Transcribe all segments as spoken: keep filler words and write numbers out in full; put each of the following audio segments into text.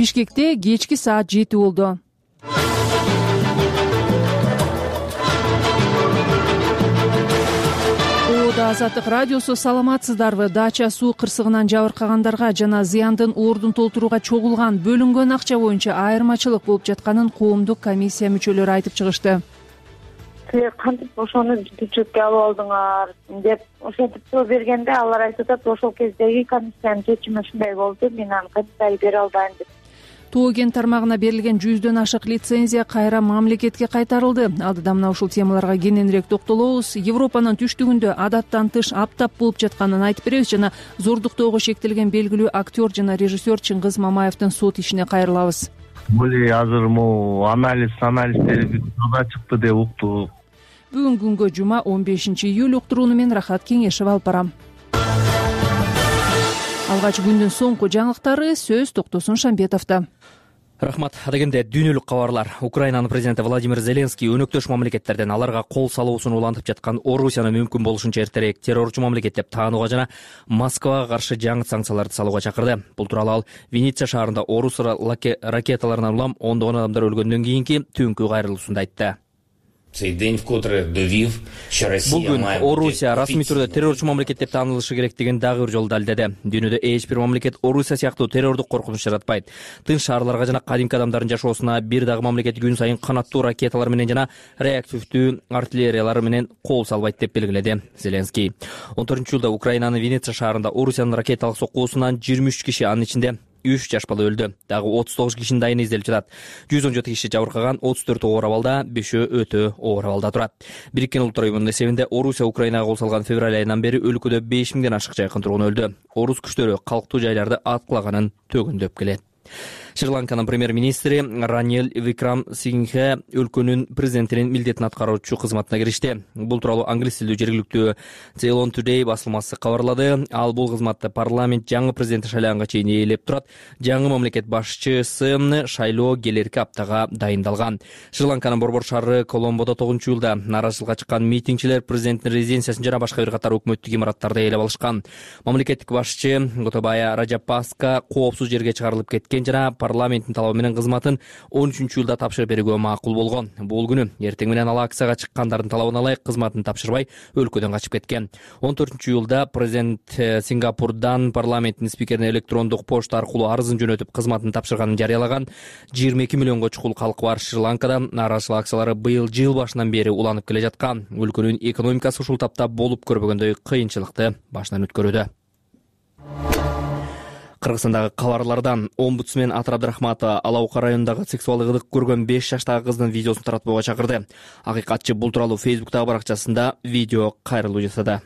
Бишкекте кечки саат жети болду. Азаттык радиосу, саламатсыздарбы? Дача суу кырсыгынан жабыркагандарга жана зыяндын ордун толтурууга чогулган бөлүнгөн акча боюнча айырмачылык болуп жатканын коомдук комиссия мүчөлөрү айтып чыгышты. Силер кантип ошону жүктөчүлүккө алып алдыңар деп ошентип суроо бергенде алар айтып атат, ошол кездеги комиссиянын чечими ушундай болду, мен аны комментарий бере албайм деп. Тоо кен тармагына берилген жүздөн ашык лицензия кайра мамлекетке кайтарылды. Алдыда мына ушул темаларга кененирээк токтолобуз. Европанын түштүгүндө адаттан тыш аптап болуп жатканын айтып беребиз жана зордуктоого шектелген белгилүү актер жана режиссер Чыңгыз Мамаевдин сот ишине кайрылабыз. Бул азыр могу анализ анализдери жада чыкты деп уктук. Бүгүн күнгө жума он бешинчи июль уктурууну мен Рахат Кеңешева алып барам. Алгач күндүн соңку жаңылыктары сөз токтосун Шамбетовдо. Рахмат. Адегенде дүйнөлүк кабарлар. Украинанын президенти Владимир Зеленский өнөктөш мамлекеттерден аларга кол салуусун улантып жаткан Орусияны мүмкүн болушунча эртерээк террорчу мамлекет деп таанууга жана Москвага каршы жаңы санкцияларды салууга чакырды. Бул тууралуу ал Венеция шаарында орус ракеталарынан улам ондогон адамдар өлгөндөн кийинки түнкү кайрылуусунда айтты. Бүгүн Орусия расмий түрдө террорчу мамлекет деп таанылышы керектигин дагы бир жолу далилдеди. Дүйнөдө эч бир мамлекет Орусия сыяктуу террордук коркунуч жаратпайт. Тынч шаарларга жана кадимки адамдардын жашоосуна бир дагы мамлекет күн сайын канаттуу ракеталар менен жана реактивдүү артиллериялар менен кол салбайт деп белгиледи Зеленский. он төртүнчү жылда Украинанын Венеция шаарында Орусиянын ракеталык соккуусунан жыйырма үч киши, анын ичинде үч жаш бала өлдү. Дагы отуз тогуз кишинин дайыны изделип жатат. жүз он жети киши жабыркаган, отуз төртү оор абалда, бешөө өтө оор абалда турат. Бириккен Улуттар уюмунун эсебинде Орусия Украинага кол салган февраль айынан бери өлкөдө беш миңден ашык жайкын тургун өлдү. Орус күчтөрү калктуу жайларды аткылаганын төгүндөп келет. Шри-Ланканын премьер-министри Ранил Викрамсингхе өлкөнүн президентинин милдетин аткаруучу кызматына киришти. Бул тууралуу англис тилдүү жергиликтүү Ceylon Today басылмасы кабарлады. Ал бул кызматты парламент жаңы президенти шайланганга чейин ээлеп турат. Жаңы мамлекет башчысын шайлоо келерки аптага дайындалган. Шри-Ланканын борбор шаары Коломбодо тогузунчу жылда нааразычылыкка чыккан митингчилер президенттин резиденциясын жана башка бир катар өкмөттүк имараттарды ээлеп алышкан. Мамлекеттик башчы Готабая Раджапакса коопсуз жерге чыгарылып кеткен жана парламенттин талабы менен кызматын он үчүнчү жылда тапшырып берүүгө макул болгон. Бул күнү эртең менен ал акцияга чыккандардын талабына ылайык кызматын тапшырбай өлкөдөн качып кеткен. он төртүнчү жылда президент Сингапурдан парламенттин спикерине электрондук почта аркылуу арызын жөнөтүп кызматын тапшырганын жарыялаган. жыйырма эки миллионго чукул калкы бар Шри-Ланкада нааразычылык акциялары быйыл жыл башынан бери уланып келе жаткан. Өлкөнүн экономикасы ушул тапта болуп көрбөгөндөй кыйынчылыкты башынан өткөрүүдө. Кыргызстандагы кабарлардан омбудсмен Атыр Абдрахматова Алаука районундагы сексуалдык ыдык көргөн беш жаштагы кыздын видеосун таратпоого чакырды. Акыйкатчы бул тууралуу Фейсбуктагы баракчасында видео кайрылуу жасады.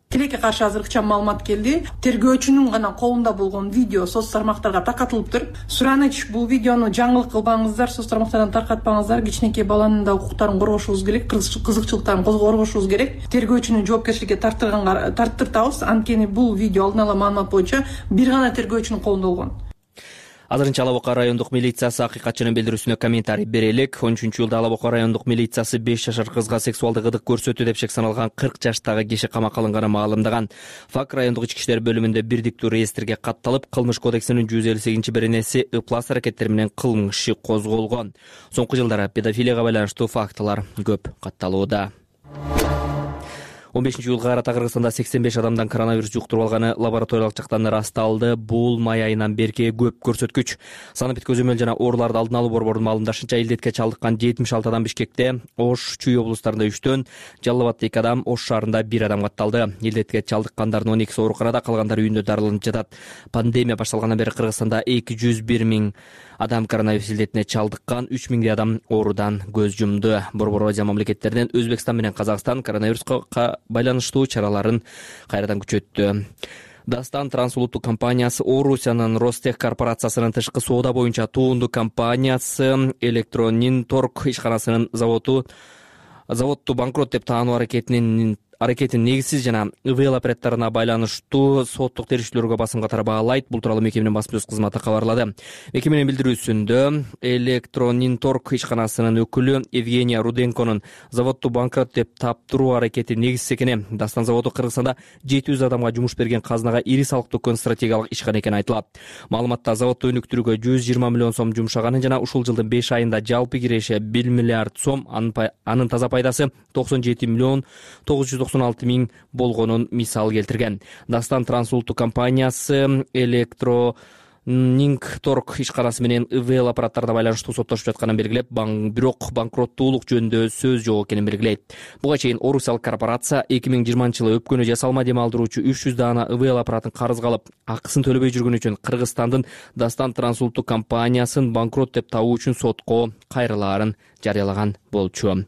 Тилекке каршы азыркыча маалымат келди. Тергөөчүнүн гана колунда болгон видео соц тармактарга таркатылыптыр. Сураныч, бул видеону жаңылык кылбаңыздар, соц тармактардан таркатпаңыздар. Кичинекей баланын да укуктарын коргошубуз керек, кызыкчылыктарын коргошубуз керек. Тергөөчүнү жоопкерчиликке тартырганга тарттыртабыз. Анткени бул видео алдын ала маалымат боюнча бир гана тергөөчүнүн колунда болгон. Азырынча Алабока райондук милициясы акыйкатчынын билдирүүсүнө комментарий бере элек. он үчүнчү жылда Алабока райондук милициясы беш жашар кызга сексуалдык ыдык көрсөтүү деп шек саналган кырк жаштагы киши камакка алынганын маалымдаган. ФАК райондук ички иштер бөлүмүндө бирдиктүү реестрге катталып, кылмыш кодексинин жүз элүү сегизинчи беренеси ыплас аракеттери менен кылмыш иши козголгон. Соңку жылдары педофилияга байланыштуу фактылар көп катталууда. он бешинчи июлга карата Кыргызстанда сексен беш адамдан коронавирус жуктуруп алганы лабораториялык жактан ырасталды. Бул май айынан берки көп көрсөткүч. Санапит көзөмөл жана ооруларды алдын алуу борборунун маалымдашынча илдетке чалдыккан жетимиш алты адам Бишкекте, Ош, Чүй облустарында үчтөн, Жалал Абадта эки адам, Ош шаарында бир адам катталды. Илдетке чалдыккандардын он экиси ооруканада, калгандары үйүндө дарыланып жатат. Пандемия башталгандан бери Кыргызстанда эки жүз бир миң адам коронавирус илдетине чалдыккан, үч миңдей адам оорудан көз жумду. Борбор Азия мамлекеттеринен Өзбекстан менен Казакстан коронавируска байланыштуу чараларын кайрадан күчөттү. Дастан трансулуттук компаниясы Орусиянын Ростех корпорациясынын тышкы соода боюнча туунду компаниясы Электронин торг ишканасынын заводу заводду банкрот деп таануу аракетинин аракетин негизсиз жана ИВЛ операторуна байланыштуу соттук териштирүүлөргө басым катары баалайт. Бул тууралуу мекеменин басма сөз кызматы кабарлады. Мекеменин билдирүүсүндө Электрониторг ишканасынын өкүлү Евгения Руденконун заводду банкрот деп таптыруу аракети негизсиз экени, Дастан заводу Кыргызстанда жети жүз адамга жумуш берген казынага ири салык төккөн стратегиялык ишкана экени айтылат. Маалыматта заводду өнүктүрүүгө жүз жыйырма миллион сом жумшаганын жана ушул жылдын беш айында жалпы киреши бир миллиард сом, анын таза пайдасы токсон жети миллион тогуз жүз токсон алты миң болгонун мисал келтирген. Дастан трансулуттук компаниясы Электро Нингторг ишканасы менен ИВЛ аппараттарына байланыштуу соттошуп жатканын белгилеп, бирок банкроттуулук жөнүндө сөз жок экенин белгилейт. Буга чейин орусиялык корпорация эки миң жыйырманчы жылы өпкөнү жасалма дем алдыруучу үч жүз даана ИВЛ аппаратын карызга алып, акысын төлөбөй жүргөн үчүн Кыргызстандын Дастан трансулуттук компаниясын банкрот деп табуу үчүн сотко кайрылаарын жарыялаган болчу.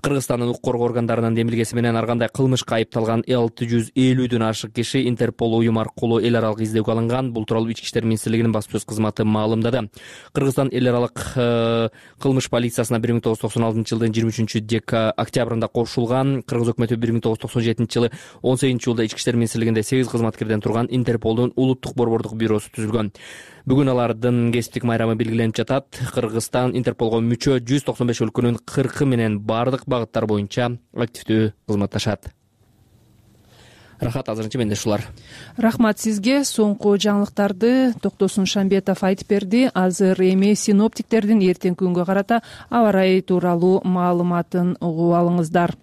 Кыргызстандын укук коргоо органдарынын демилгеси менен ар кандай кылмышка айыпталган алты жүз элүүдөн ашык киши Интерпол уюм аркылуу эл аралык издөөгө алынган. Бул тууралуу Ички иштер министрлигинин басма сөз кызматы маалымдады. Кыргызстан эл аралык кылмыш полициясына бир миң тогуз жүз токсон алтынчы жылдын жыйырма үчүнчү октябрында кошулган. Кыргыз өкмөтү бир миң тогуз жүз токсон жетинчи жылы он сегизинчи июлда Ички иштер министрлигинде сегиз кызматкерден турган Интерполдун улуттук борбордук бюросу түзүлгөн. Бүгүн алардын кесиптик майрамы белгиленип жатат. Кыргызстан Интерполго мүчө жүз токсон беш өлкөнүн кыркы менен бардык багыттар боюнча активдүү кызматташат. Рахат, азырынча менде ушулар. Рахмат сизге. Соңку жаңылыктарды Токтосун Шамбетов айтып берди. Азыр эми синоптиктердин эртеңки күнгө карата аба ырайы тууралуу маалыматын угуп алыңыздар.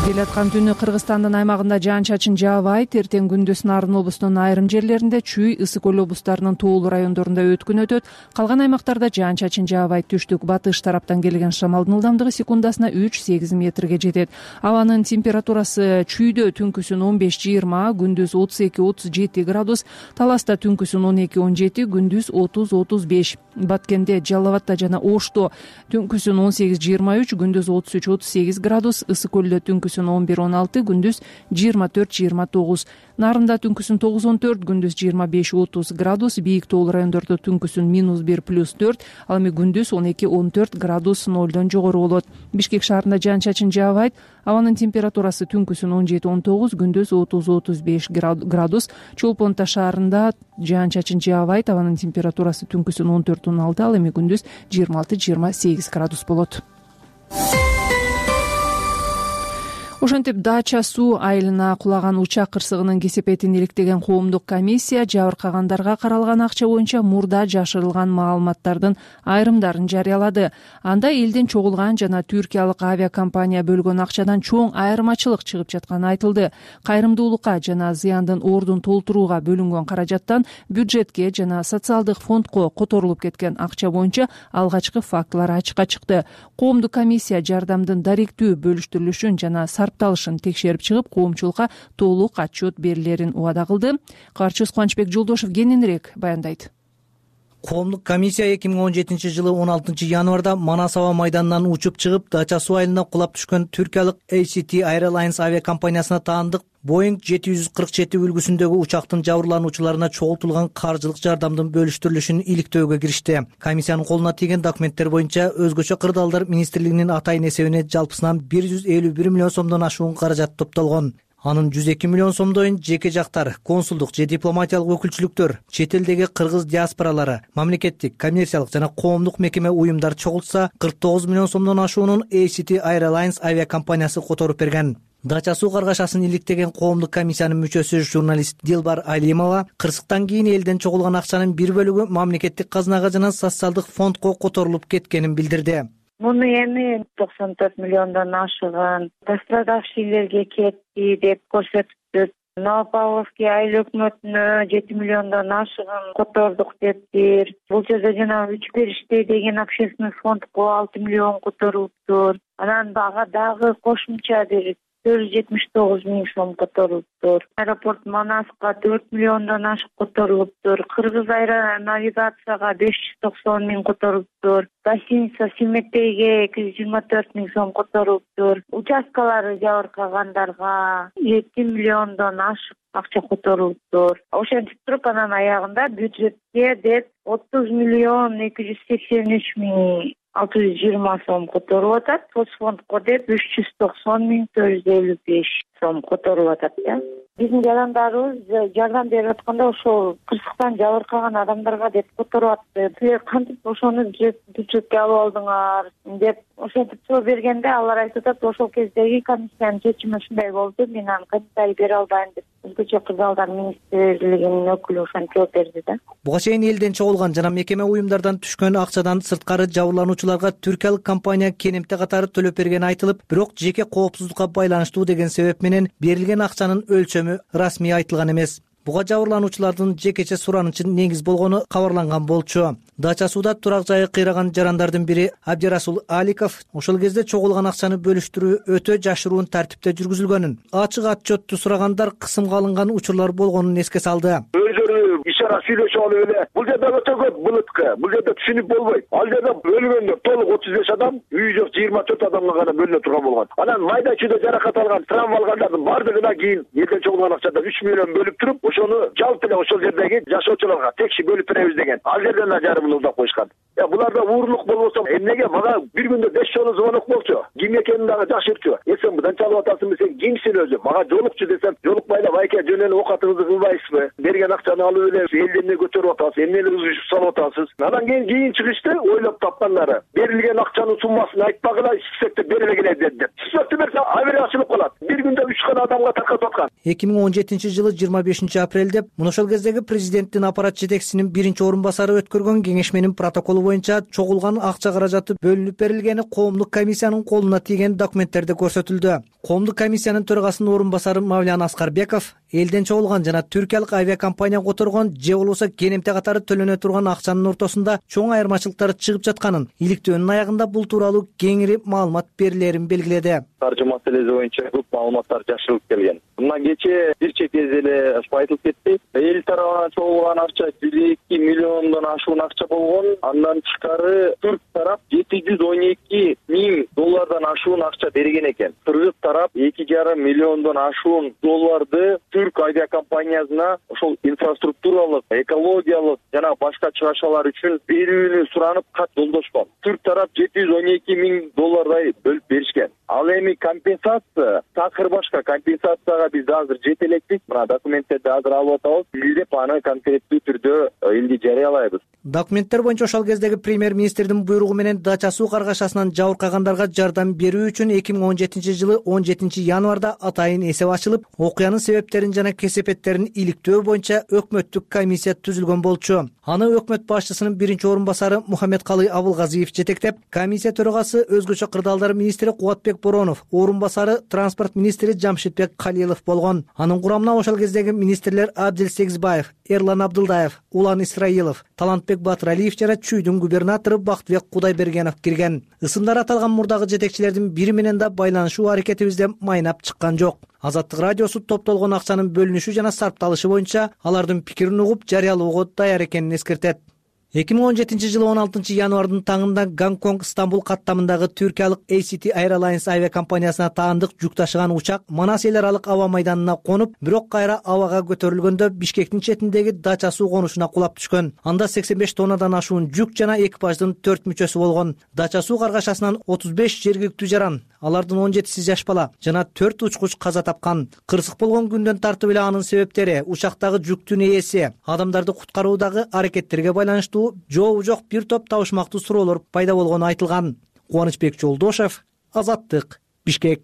Келаткан түнү Кыргызстандын аймагында жаан-чачын жаабайт. Эртең күндүз Нарын облусунун айрым жерлеринде, Чүй, Ысык көл облустарынын тоолуу райондорунда өткүн өтөт. Калган аймактарда жаан-чачын жаабайт. Түштүк батыш тараптан келген шамалдын ылдамдыгы секундасына үч сегиз метрге жетет. Абанын температурасы Чүйдө түнкүсүн он беш жыйырма, күндүз отуз эки отуз жети градус, Таласта түнкүсүн он эки он жети, күндүз отуз отуз беш. Баткенде, Жалал абадда жана Ошто түнкүсүн он сегиз жыйырма үч, күндүз отуз үч отуз сегиз градус, Ысык көлдө түнкүсүн он бир он алты, күндүз жыйырма төрт жыйырма тогуз. Нарында түнкүсүн тогуз он төрт, күндүз жыйырма беш отуз градус, бийик тоолуу райондордо түнкүсүн минус бир плюс төрт, ал эми күндүз он эки он төрт градус нолдон жогору болот. Бишкек шаарында жаан-чачын жаабайт. Абанын температурасы түнкүсүн он жети он тогуз, күндүз отуз отуз беш градус. Чолпон Ата шаарында жаан-чачын жаабайт. Абанын температурасы түнкүсүн он төрт он алты, ал эми күндүз жыйырма алты жыйырма сегиз градус болот. Ошентип Дача суу айылына кулаган учак кырсыгынын кесепетин иликтеген коомдук комиссия жабыркагандарга каралган акча боюнча мурда жашырылган маалыматтардын айрымдарын жарыялады. Анда элден чогулган жана түркиялык авиакомпания бөлгөн акчадан чоң айырмачылык чыгып жатканы айтылды. Кайрымдуулукка жана зыяндын ордун толтурууга бөлүнгөн каражаттан бюджетке жана социалдык фондко которулуп кеткен акча боюнча алгачкы фактылар ачыкка чыкты. Коомдук комиссия жардамдын даректүү бөлүштүрүлүшүн жана сапталышын текшерип чыгып, коомчулукка толук отчет берилерин убада кылды. Каарчыбыз Кубанычбек Жолдошов кененирээк баяндайт. Коомдук комиссия эки миң он жетинчи жылы он алтынчы январда Манас аба майданынан учуп чыгып, Дача суу айылына кулап түшкөн түркиялык эй си ти Airlines авиакомпаниясына таандык Boeing жети жүз кырк жети үлгүсүндөгү учактын жабырлануучуларына чогултулган каржылык жардамдын бөлүштүрүлүшүн иликтөөгө киришти. Комиссиянын колуна тийген документтер боюнча өзгөчө кырдаалдар министрлигинин атайын эсебине жалпысынан бир жүз элүү бир миллион сомдон ашуун каражат топтолгон. Анын жүз эки миллион сомдойун жеке жактар, консулдук же дипломатиялык өкүлчүлүктөр, чет элдеги кыргыз диаспоралары, мамлекеттик, коммерциялык жана коомдук мекеме уюмдар чогултса, кырк тогуз миллион сомдон ашуунун эй си ти Airlines авиакомпаниясы которуп берген. Дача суу каргашасын иликтеген коомдук комиссиянын мүчөсү журналист Дилбар Алимова кырсыктан кийин элден чогулган акчанын бир бөлүгү мамлекеттик казынага жана социалдык фондко которулуп кеткенин билдирди. Муну эми токсон төрт миллиондон ашыган пострадавшийлерге кетти деп көрсөтүптүр. Новопавловский айыл өкмөтүнө жети миллиондон ашыган котордук дептир. Бул жерде жана үч бериште деген общественный фондко алты миллион которулуптур. Анан ага дагы кошумча бир төрт жүз жетимиш тогуз миң сом которулуптур. Аэропорт Манаска төрт миллиондон ашык которулуптур. Кыргыз аэронавигацияга беш жүз токсон миң которулуптур. Гостиница Симетейге эки жүз жыйырма төрт миң сом которулуптур. Участкалары жабыркагандарга жети миллиондон ашык акча которулуптур. Ошентип туруп анан аягында бюджетке деп отуз миллион эки жүз сексен үч миң алты жүз жыйырма сом которуп атат, соцфондко деп үч жүз токсон миң төрт жүз элүү беш сом которуп атат да. Биздин жарандарыбыз жардам берип атканда ошол кырсыктан жабыркаган адамдарга деп которуп атты. Силер кантип ошону бюджетке алып алдыңар деп ошентип суроо бергенде алар айтып атат, ошол кездеги комиссиянын чечими ушундай болду, мен аны комментарий бере албайм деп өзгөчө кырдаалдар министрлигинин өкүлү ошентип жооп берди да. Буга чейин элден чогулган жана мекеме уюмдардан түшкөн акчадан сырткары жабырлануучуларга түркиялык компания кенемте катары төлөп бергени айтылып, бирок жеке коопсуздукка байланыштуу деген себеп менен берилген акчанын өлчөмү расмий айтылган эмес. Буга жабырлануучулардын жекече суранычы негиз болгону кабарланган болчу. Дача сууда турак жайы кыйраган жарандардын бири Абдирасул Аликов ошол кезде чогулган акчаны бөлүштүрүү өтө жашыруун тартипте жүргүзүлгөнүн, ачык отчетту сурагандар кысымга алынган учурлар болгонун эске салды. Өздөрү ишара сүйлөшүп алып эле бул жерде өтө көп былыткы, бул жерде түшүнүп болбойт. Ал жерде өлгөндөр толук отуз беш адам, үйү жок жыйырма төрт адамга гана бөлүнө турган болгон. Анан майда чүйдө жаракат алган, травма алгандардын бардыгына кийин элден чогулган акчадан үч миллион бөлүп туруп, ошону жалпы эле ошол жердеги жашоочуларга текши бөлүп беребиз деген. Ал жерден да жарымын улдап коюшкан. Я буларда уурлук болбосо эмнеге мага бир күндө беш жолу звонок болчу. Ким экенин дагы жакшырчу. Эсен мындан чалып атасың сен кимсиң өзү? Мага жолукчу десем, жолукпайлап айке жөн эле оокатыңызды кылбайсызбы? Берген акчаны алып эле элди эмне көтөрүп атасыз? Эмне эле үзүшүп салып атасыз? Анан кийин кийин чыгышты ойлоп тапкандары. Берилген акчанын суммасын айтпагыла, спектр бере келе деп. Спектр берсе авария ачылып калат. Бир күндө үч гана адамга таркатып аткан. эки миң он жетинчи жылы жыйырма бешинчи апрелде мына ошол кездеги президенттин аппарат жетекчисинин биринчи орун басары өткөргөн кеңешменин протоколу боюнча чогулган акча каражаты бөлүнүп берилгени коомдук комиссиянын колуна тийген документтерде көрсөтүлдү. Коомдук комиссиянын төрагасынын орун басары Мавлян Аскарбеков элден чогулган жана түркиялык авиакомпания которгон же болбосо кенемте катары төлөнө турган акчанын ортосунда чоң айырмачылыктар чыгып жатканын, иликтөөнүн аягында бул тууралуу кеңири маалымат берилерин белгиледи. Каржы маселеси боюнча көп маалыматтар жашырылып келген. Мына кечээ бир чек кезде эле айтылып кетти. Эл тарабынан чогулган акча жүз эки миллиондон ашуун акча болгон. Андан тышкары түрк тарап жети жүз он эки миң доллардан ашуун акча берген экен. Кыргыз тарап эки жарым миллиондон ашуун долларды түрк авиакомпаниясына ошол инфраструктуралык, экологиялык жана башка чыгашалар үчүн берүүнү суранып кат жолдошкон. Түрк тарап жети жүз он эки миң доллардай бөлүп беришкен. Ал эми компенсация, такыр башка компенсацияга биз азыр жете элекпиз. Мына документтерди азыр алып атабыз. Издеп аны конкреттүү түрдө элди жарыялайбыз. Документтер боюнча ошол кездеги премьер-министрдин буйругу менен Дача суу каргашасынан жабыркагандарга жардам берүү үчүн эки миң он жетинчи жылы он жетинчи январда атайын эсеп ачылып, окуянын себептерин жана кесепеттерин иликтөө боюнча өкмөттүк комиссия түзүлгөн болчу. Аны өкмөт башчысынын биринчи орун басары Мухаммедкалый Абылгазиев жетектеп, комиссия төрагасы өзгөчө кырдаалдар министри Кубатбек Боронов, орун басары транспорт министри Жамшитбек Калилов болгон. Анын курамына ошол кездеги министрлер Абдил Сегизбаев, Эрлан Абдылдаев, Улан Исраилов, Талантбек Батыралиев жана Чүйдүн губернатору Бактыбек Кудайбергенов кирген. Ысымдар аталган мурдагы жетекчилердин бири менен да байланышуу аракетибизде майнап чыккан жок. Азаттык радиосу топтолгон акчанын бөлүнүшү жана сарпталышы боюнча алардын пикирин угуп жарыялоого даяр экенин эскертет. эки миң он жетинчи жылы он алтынчы январдын таңында Гонконг Стамбул каттамындагы түркиялык эй си ти Airlines авиакомпаниясына таандык жүк ташыган учак Манас эл аралык аба майданына конуп, бирок кайра абага көтөрүлгөндө Бишкектин четиндеги Дача суу конушуна кулап түшкөн. Анда сексен беш тоннадан ашуун жүк жана экипаждын төрт мүчөсү болгон. Дача суу каргашасынан отуз беш жергиликтүү жаран, алардын он жетиси жаш бала жана төрт учкуч каза тапкан. Кырсык болгон күндөн тартып эле анын себептери, учактагы жүктүн ээси, адамдарды куткаруудагы аракеттерге байланыштуу жообу жок бир топ табышмактуу суроолор пайда болгону айтылган. Кубанычбек Жолдошев, Азаттык, Бишкек.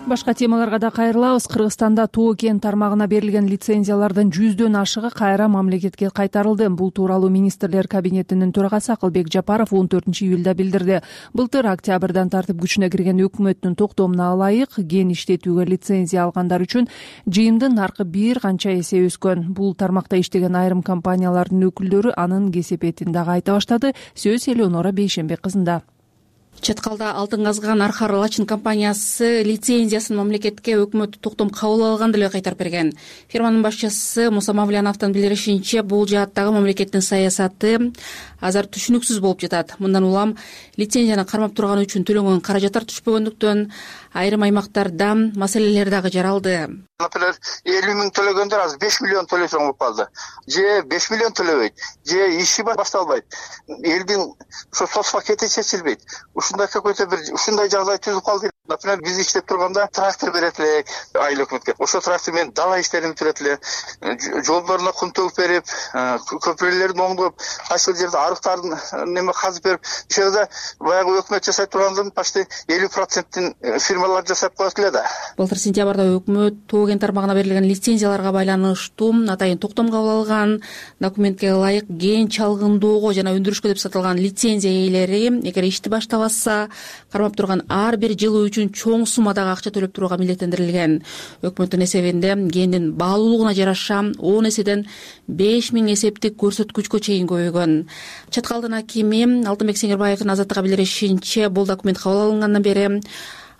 Башка темаларга да кайрылабыз. Кыргызстанда Тоо кен тармагына берилген лицензиялардын жүздөн ашыгы кайра мамлекетке кайтарылды. Бул тууралуу министрлер кабинетинин төрагасы Акылбек Жапаров он төртүнчү июлда билдирди. Былтыр октябрдан тартып күчүнө кирген өкмөттүн токтомуна ылайык кен иштетүүгө лицензия алгандар үчүн жыйымдын наркы бир канча эсе өскөн. Бул тармакта иштеген айрым компаниялардын өкүлдөрү анын кесепетин дагы айта баштады. Сөз Элеонора Бейшенбек кызында. Чаткалда алтын казган Архар Лачин компаниясы лицензиясын мамлекетке өкмөт токтом кабыл алган деле кайтарып берген. Фирманын башчысы Муса Мавляновдун билдиришинче, бул жааттагы мамлекеттин саясаты азыр түшүнүксүз болуп жатат. Мындан улам лицензияны кармап турган үчүн төлөнгөн каражаттар түшпөгөндүктөн айрым аймактарда маселелер дагы жаралды. Например, элүү миң төлөгөндөр азыр беш миллион төлөсөң болуп калды. Же беш миллион төлөбөйт, же иши башталбайт. Элдин ошо соц пакети чечилбейт. Ушундай какой-то бир ушундай жагдай түзүп калды. Например, биз иштеп турганда трактор берет элек айыл өкмөткө. Ошо трактор менен дала иштерин бүтүрөт эле. Жолдоруна кум төгүп берип, көпүрөлөрдү оңдоп, кайсы жерде арыктарын неме казып берип, ошол жерде баягы өкмөт жасай тургандын почти элүү процентин фирмалар жасап коет эле да. Былтыр сентябрда өкмөт тоо кен тармагына берилген лицензияларга байланыштуу атайын токтом кабыл алган. Документке ылайык ген чалгындоого жана өндүрүшкө деп сатылган лицензия ээлери эгер ишти баштабаса, кармап турган ар бир жылы үчүн чоң суммадагы акча төлөп турууга милдеттендирилген. Өкмөттүн эсебинде гендин баалуулугуна жараша он эседен беш миң эсептик көрсөткүчкө чейин көбөйгөн. Чаткалдын акими Алтынбек Сеңирбаевдин Азаттыкка билдиришинче, бул документ кабыл алынгандан бери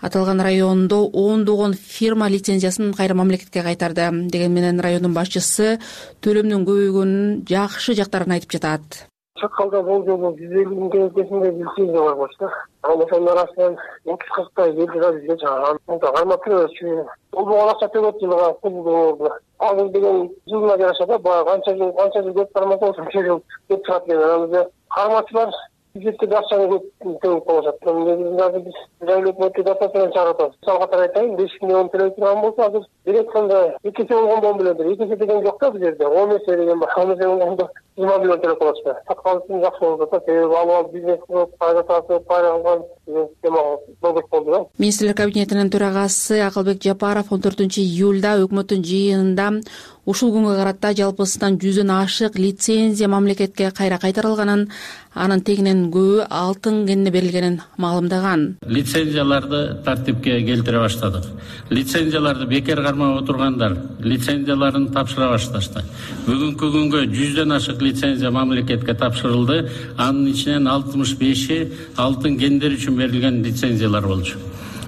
аталган райондо ондогон фирма лицензиясын кайра мамлекетке кайтарды. Деген менен райондун башчысы төлөмдүн көбөйгөнүнүн жакшы жактарын айтып жатат. Чаткалда бул жолу жүз элүү миңге чейин лицензия бар болчу. Ал ошонун арасынан отуз кырктай элдер бизге чыган. Анда кармап турчу. Бул акча төлөп жылга кылды. Ал деген жылына жараша да баягы канча жыл канча жыл деп кармаса ошончо жыл деп турат экен. Анан кармачылар бюджеттеги акчаны төлөп коюшат. Негизинде биз жайлуу өкмөттү датасынан чыгарат. Мисалы катары айтайын, беш миллион төлөй турган болсо, азыр бир айтканда эки эсе болгондон билет. эки эсе деген жок да бул жерде. он эсе деген бар. он эсе болгондо жыйырма миллион төлөп коюшат. Саткалысын жакшы болуп жатат. Себеби алып бизнес кылып, пайда тартып, пайда алган система болуп болду да. Министрлер кабинетинин төрагасы Акылбек Жапаров он төртүнчү июлда өкмөттүн жыйынында ушул күнгө карата жалпысынан жүздөн ашык лицензия мамлекетке кайра кайтарылганын, анын тегинен көбү алтын кенине берилгенин маалымдаган. Лицензияларды тартипке келтире баштадык. Лицензияларды бекер кармап отургандар лицензияларын тапшыра башташты. Бүгүнкү күнгө жүздөн ашык лицензия мамлекетке тапшырылды. Анын ичинен алтымыш беши алтын кендер үчүн берилген лицензиялар болчу.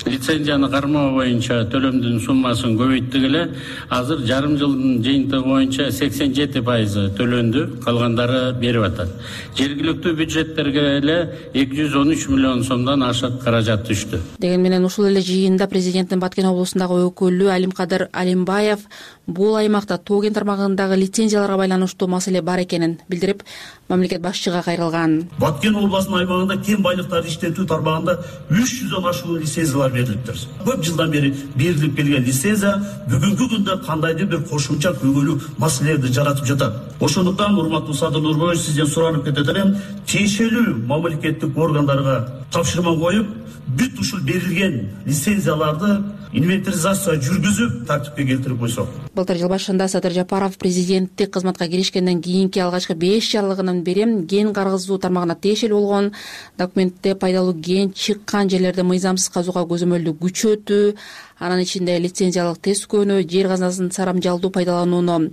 Лицензияны кармоо боюнча төлөмдүн суммасын көбөйттүк эле. Азыр жарым жылдын жыйынтыгы боюнча сексен жети пайызы төлөндү, калгандары берип атат. Жергиликтүү бюджеттерге эле эки жүз он үч миллион сомдон ашык каражат түштү. Деген менен ушул эле жыйында президенттин Баткен облусундагы өкүлү Алимкадыр Алимбаев бул аймакта тоо кен тармагындагы лицензияларга байланыштуу маселе бар экенин билдирип, мамлекет башчыга кайрылган. Баткен облусунун аймагында кен байлыктарды иштетүү тармагында үч жүздөн ашуун лицензиялар берилиптир. Көп жылдан бери берилип келген лицензия бүгүнкү күндө кандайдыр бир кошумча көйгөйлүү маселелерди жаратып жатат. Ошондуктан урматтуу Садыр Нурбоевич, сизден суранып кетет элем, тиешелүү мамлекеттик органдарга тапшырма коюп, бүт ушул берилген лицензияларды инвентаризация жүргүзүп тартипке келтирип койсок. Былтыр жыл башында Садыр Жапаров президенттик кызматка киришкенден кийинки алгачкы беш жарлыгынан бери ген каргызуу тармагына тиешелүү болгон документте пайдалуу ген чыккан жерлерде мыйзамсыз казууга көзөмөлдү күчөтүү, анын ичинде лицензиялык тескөөнү, жер казынасын сарамжалдуу пайдаланууну,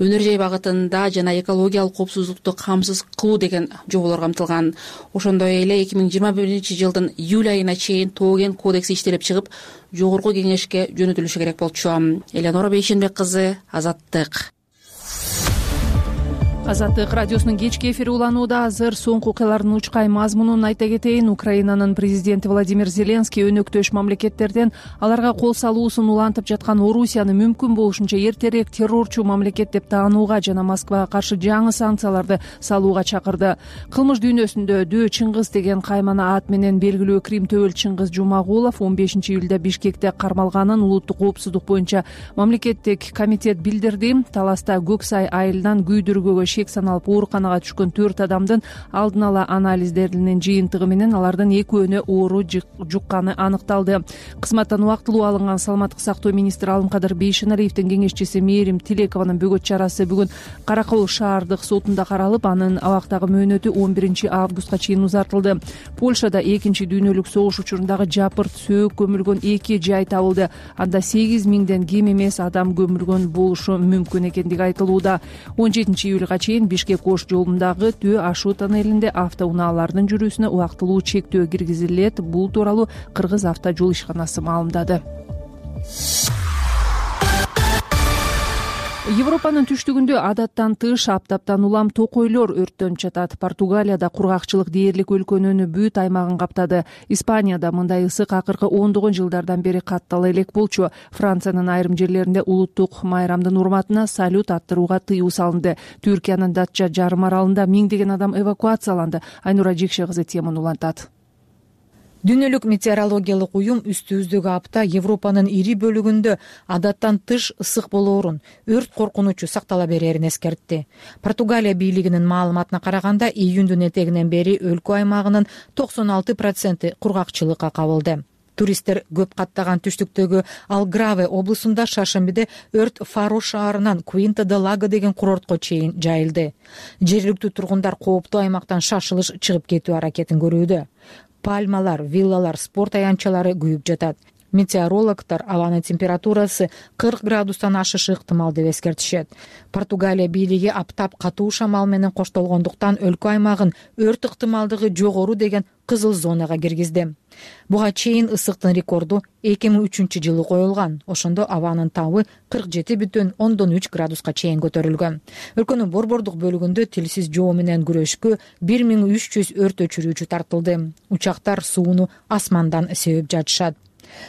өнөр жай багытында жана экологиялык коопсуздукту камсыз кылуу деген жоболор камтылган. Ошондой эле эки миң жыйырма биринчи жылдын июль айына чейин тоо кен кодекси иштелип чыгып, жогорку кеңешке жөнөтүлүшү керек болчу. Эленора Бейшенбек кызы, Азаттык. Азаттык радиосунун кечки эфири уланууда. Азыр соңку окуялардын учкай мазмунун айта кетейин. Украинанын президенти Владимир Зеленский өнөктөш мамлекеттерден аларга кол салуусун улантып жаткан Орусияны мүмкүн болушунча эртерээк террорчу мамлекет деп таанууга жана Москвага каршы жаңы санкцияларды салууга чакырды. Кылмыш дүйнөсүндө Дөө Чыңгыз деген каймана ат менен белгилүү Крим төбөл Чыңгыз Жумагулов он бешинчи июлда Бишкекте кармалганын улуттук коопсуздук боюнча мамлекеттик комитет билдирди. Таласта Көк Сай айылынан күйдүргөгө шек саналып ооруканага түшкөн төрт адамдын алдын ала анализдеринин жыйынтыгы менен алардын экөөнө оору жукканы аныкталды. Кызматтан убактылуу алынган саламаттык сактоо министри Алымкадыр Бейшеналиевдин кеңешчиси Мээрим Тилекованын бөгөт чарасы бүгүн Кара Кол шаардык сотунда каралып, анын абактагы мөөнөтү он биринчи августка чейин узартылды. Польшада экинчи дүйнөлүк согуш учурундагы жапырт сөөк көмүлгөн эки жай табылды. Анда сегиз миңден кем эмес адам көмүлгөн болушу мүмкүн экендиги айтылууда. он жетинчи июлга чейин Бишкек Ош жолундагы Төө ашуу тоннелинде автоунаалардын жүрүүсүнө убактылуу чектөө киргизилет. Бул тууралуу Кыргыз авто жол ишканасы маалымдады. Европанын түштүгүндө адаттан тыш аптаптан улам токойлор өрттөнүп жатат. Португалияда кургакчылык дээрлик өлкөнүн бүт аймагын каптады. Испанияда мындай ысык акыркы ондогон жылдардан бери каттала элек болчу. Франциянын айрым жерлеринде улуттук майрамдын урматына салют аттырууга тыюу салынды. Түркиянын Датча жарым аралында миңдеген адам эвакуацияланды. Айнура Жекше кызы теманы улантат. Дүйнөлүк метеорологиялык уюм үстүбүздөгү апта Европанын ири бөлүгүндө адаттан тыш ысык болоорун, өрт коркунучу сактала берерин эскертти. Португалия бийлигинин маалыматына караганда, июндун этегинен бери өлкө аймагынын токсон алты проценти кургакчылыкка кабылды. Туристтер көп каттаган түштүктөгү Алграве облусунда шаршембиде өрт Фаро шаарынан Куинта де Лаго деген курортко чейин жайылды. Жергиликтүү тургундар кооптуу аймактан шашылыш чыгып кетүү аракетин көрүүдө. Пальмалар, виллалар, спорт аянтчалары күйүп жатат. Метеорологдор абанын температурасы кырк градустан ашышы ыктымал деп эскертишет. Португалия бийлиги аптап катуу шамал менен коштолгондуктан өлкө аймагын өрт ыктымалдыгы жогору деген кызыл зонага киргизди. Буга чейин ысыктын рекорду эки миң үчүнчү жылы коюлган. Ошондо абанын табы кырк жети бүтүн ондон үч градуска чейин көтөрүлгөн. Өлкөнүн борбордук бөлүгүндө тилсиз жоо менен күрөшкө бир миң үч жүз өрт өчүрүүчү тартылды. Учактар сууну асмандан себеп жатышат.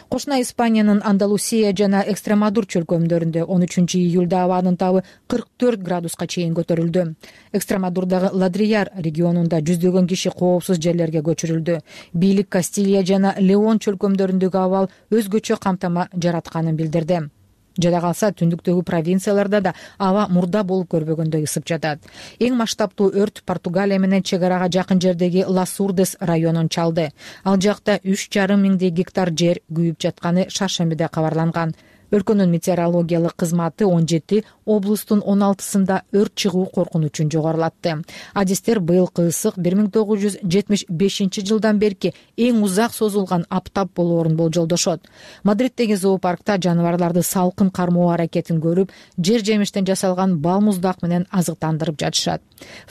Кошуна Испаниянын Андалусия жана Экстремадур чөлкөмдөрүндө он үчүнчү июлда абанын табы кырк төрт градуска чейин көтөрүлдү. Экстремадурдагы Ладрияр регионунда жүздөгөн киши коопсуз жерлерге көчүрүлдү. Бийлик Кастилия жана Леон чөлкөмдөрүндөгү абал өзгөчө камтама жаратканын билдирди. Жада калса, түндүктөгү провинцияларда да аба мурда болуп көрбөгөндөй ысып жатат. Эң масштабтуу өрт Португалия менен чек арага жакын жердеги Ласурдес районун чалды. Ал жакта үч жарым миңдей гектар жер күйүп жатканы шаршембиде кабарланган. Өлкөнүн метеорологиялык кызматы он жети облустун он алтысында өрт чыгуу коркунучун жогорулатты. Адистер быйылкы ысык бир миң тогуз жүз жетимиш бешинчи жылдан берки эң узак созулган аптап болоорун болжолдошот. Мадриддеги зоопаркта жаныбарларды салкын кармоо аракетин көрүп, жер жемиштен жасалган бал муздак менен азыктандырып жатышат.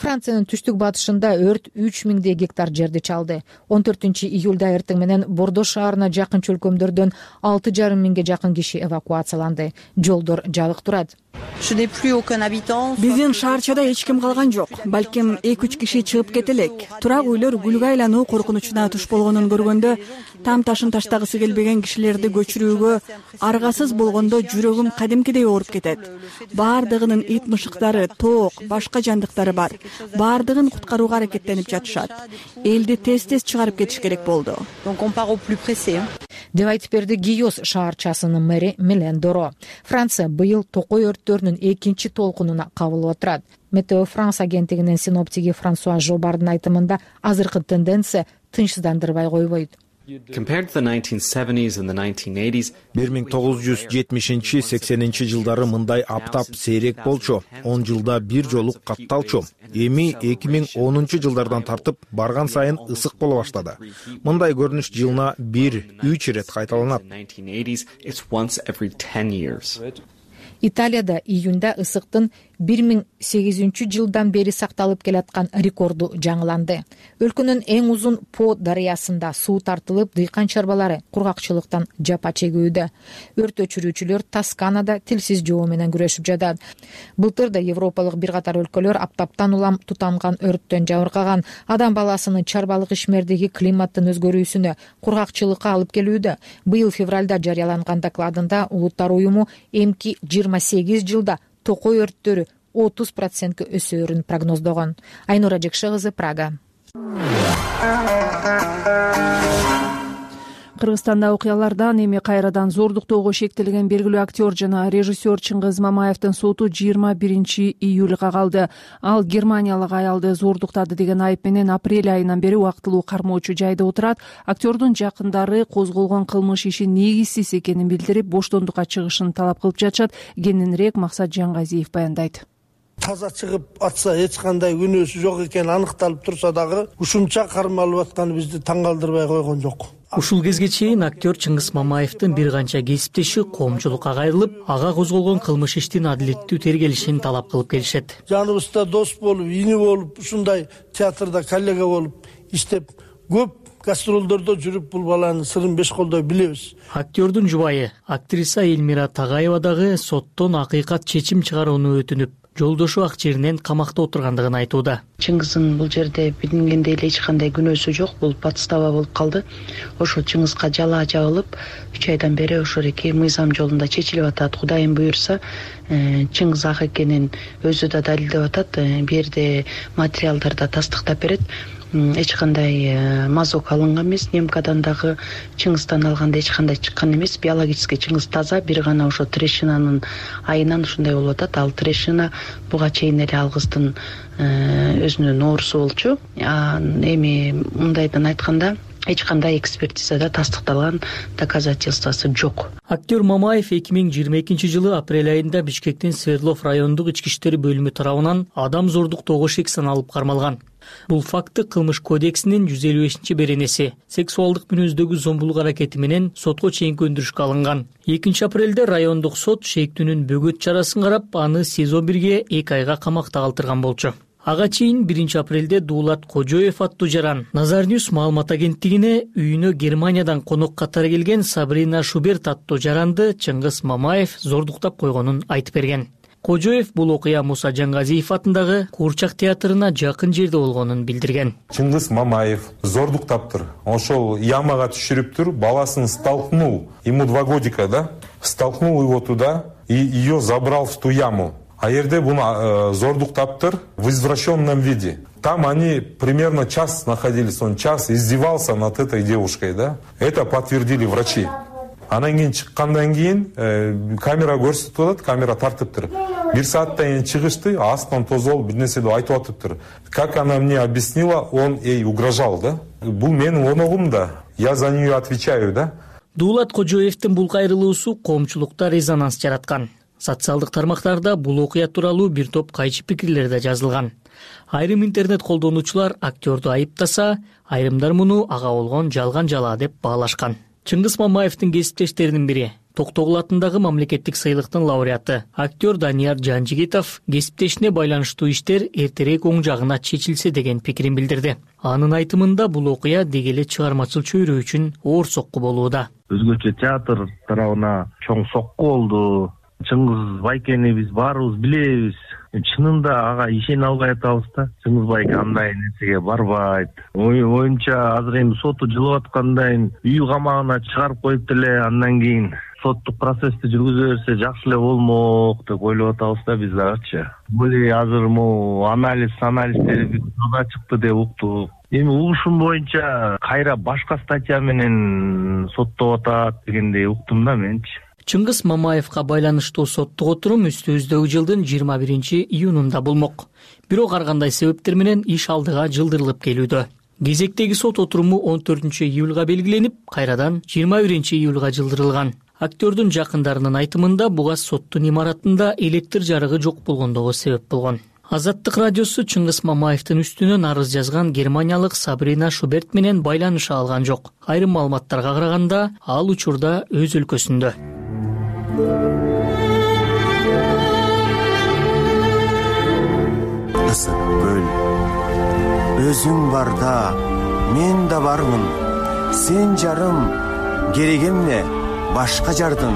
Франциянын түштүк батышында өрт үч миңдей гектар жерди чалды. он төртүнчү июлда эртең менен Бордо шаарына жакын чөлкөмдөрдөн алты жарым миңге жакын киши эвакуацияланды. Жолдор жабык турат. Биздин шаарчада эч ким калган жок. Балким эки үч киши чыгып кете элек. Турак үйлөр гүлгө айлануу коркунучуна туш болгонун көргөндө, там ташын таштагысы келбеген кишилерди көчүрүүгө аргасыз болгондо жүрөгүм кадимкидей ооруп кетет. Баардыгынын ит мышыктары, тоок, башка жандыктары бар. Баардыгын куткарууга аракеттенип жатышат. Элди тез-тез чыгарып кетиш керек болду. Деп айтып берди Гийос шаарчасынын мэри Милен Доро. Франция быйыл токой өрттөрүнүн экинчи толкунуна кабылып отурат. Метео Франс агенттигинин синоптиги Франсуа Жобардын айтымында азыркы тенденция тынчсыздандырбай койбойт. бир миң тогуз жүз жетимишинчи сексенинчи жылдары мындай аптап сейрек болчу. он жылда бир жолу катталчу. Эми эки миң онунчу жылдардан тартып барган сайын ысык боло баштады. Мындай көрүнүш жылына бир үч ирет кайталанат. Италияда июнда ысыктын бир миң сегизинчи жылдан бери сакталып келаткан рекорду жаңыланды. Өлкөнүн эң узун По дарыясында суу тартылып, дыйкан чарбалары кургакчылыктан жапа чегүүдө. Өрт өчүрүүчүлөр Тосканада тилсиз жоо менен күрөшүп жатат. Былтыр да европалык бир катар өлкөлөр аптаптан улам тутанган өрттөн жабыркаган, адам баласынын чарбалык ишмердиги климаттын өзгөрүүсүнө, кургакчылыкка алып келүүдө. Быйыл февралда жарыяланган докладында Улуттар уюму эмки жыйырма сегиз жылда токой өрттөрү отуз процентке өсөөрүн прогноздогон. Айнура Жекше кызы, Прага. Кыргызстанда окуялардан эми кайрадан зордуктоого шектелген белгилүү актер жана режиссер Чыңгыз Мамаевдин соту жыйырма биринчи июлга калды. Ал германиялык аялды зордуктады деген айып менен апрель айынан бери убактылуу кармоочу жайда отурат. Актердун жакындары козголгон кылмыш иши негизсиз экенин билдирип, боштондукка чыгышын талап кылып жатышат. Кененирээк Максат Жаңгазиев баяндайт. Таза чыгып атса, эч кандай күнөөсү жок экени аныкталып турса дагы ушунча кармалып атканы бизди таң калтырбай койгон жок. Ушул кезге чейин актер Чыңгыз Мамаевдин бир канча кесиптеши коомчулукка кайрылып, ага козголгон кылмыш иштин адилеттүү тергелишин талап кылып келишет. Жаныбызда дос болуп, ини болуп, ушундай театрда коллега болуп иштеп, көп гастролдордо жүрүп бул баланын сырын беш колдой билебиз. Актёрдун жубайы актриса Элмира Тагаева дагы соттон акыйкат чечим чыгарууну өтүнүп, жолдошу ак жеринен камакта отургандыгын айтууда. Чыңгыздын бул жерде билингендей эле эч кандай күнөөсү жок, бул подстава болуп калды. Ошол Чыңгызга жалаа жабылып, үч айдан бери ошол эки мыйзам жолунда чечилип атат. Кудайым буйрса, Чыңгыз ак экенин өзү да далилдеп атат. Бу жерде материалдарда тастыктап берет. Эч кандай мазок алынган эмес, немкадан дагы Чыңгыздан алганда эч кандай чыккан эмес. Биологический Чыңгыз таза, бир гана ошо трещинанын айынан ушундай болуп атат. Ал трещина буга чейин эле ал кыздын өзүнүн оорусу болчу. Эми мындайдан айтканда эч кандай экспертизада тастыкталган доказательствосы жок. Актер Мамаев эки миң жыйырма экинчи жылы апрель айында Бишкектин Свердлов райондук ички иштер бөлүмү тарабынан адам зордуктоого шек саналып кармалган. Бул факты кылмыш кодексинин жүз элүү бешинчи беренеси сексуалдык мүнөздөгү зомбулук аракети менен сотко чейинки өндүрүшкө алынган. экинчи апрелде райондук сот шектүүнүн бөгөт чарасын карап, аны СИЗО бирге эки айга камакта калтырган болчу. Ага чейин биринчи апрелде Дуулат Кожоев аттуу жаран Назарньюс маалымат агенттигине үйүнө Германиядан конок катары келген Сабрина Шуберт аттуу жаранды Чыңгыз Мамаев зордуктап койгонун айтып берген. Кожоев бул окуя Муса Жангазиев атындагы Куурчак театрына жакын жерде болгонун билдирген. Чыңгыз Мамаев зордуктаптыр. Ошол ямага түшүрүптүр, баласын столкнул, ему два годика, да? Столкнул его туда и ее забрал в ту яму. А жерде буну э, зордуктаптыр в извращенном виде. Там они примерно час находились, он час издевался над этой девушкой, да? Это подтвердили врачи. Анан кийин чыккандан кийин камера көрсөтүп атат, камера тартыптыр. Бир сааттан кийин чыгышты, астынан тозолуп бир нерсе деп айтып атыптыр. Как она мне объяснила, он ей угрожал, да? Бул менин оногум да. Я за нее отвечаю, да? Дуулат Кожоевдин бул кайрылуусу коомчулукта резонанс жараткан. Социалдык тармактарда бул окуя тууралуу бир топ кайчы пикирлер да жазылган. Айрым интернет колдонуучулар актёрду айыптаса, айрымдар муну ага болгон жалган жалаа деп баалашкан. Чыңгыз Мамаевдин кесиптештеринин бири, Токтогул атындагы мамлекеттик сыйлыктын лауреаты актер Данияр Жанжигитов кесиптешине байланыштуу иштер эртерээк оң жагына чечилсе деген пикирин билдирди. Анын айтымында бул окуя деги эле чыгармачыл чөйрө үчүн оор сокку болууда. Өзгөчө театр тарабына чоң сокку болду. Чыңгыз Байкени биз баарыбыз билебиз. Чынында ага ишене албай атабыз да. Чыңгыз Байке андай нерсеге барбайт. Оюмча азыр эми соту жылып аткандай үй камагына чыгарып коюп деле андан кийин соттук процессти жүргүзө берсе жакшы эле болмок деп ойлоп атабыз да биз дагычы. Бул азыр могу анализ анализдери таза чыкты деп уктук. Эми угушум боюнча кайра башка статья менен соттоп атат дегендей уктум да менчи. Чыңгыз Мамаевга байланыштуу соттук отурум үстүбүздөгү жылдын жыйырма биринчи июнунда болмок. Бирок ар кандай себептер менен иш алдыга жылдырылып келүүдө. Кезектеги сот отуруму он төртүнчү июлга белгиленип, кайрадан жыйырма биринчи июлга жылдырылган. Актёрдун жакындарынын айтымында буга соттун имаратында электр жарыгы жок болгондугу себеп болгон. Азаттык радиосу Чыңгыз Мамаевдин үстүнөн арыз жазган германиялык Сабрина Шуберт менен байланыша алган жок. Айрым маалыматтарга караганда, ал учурда өз өлкөсүндө. Ысык көл, өзүң барда мен да бармын. Сен жарым, керек эмне башка жардым.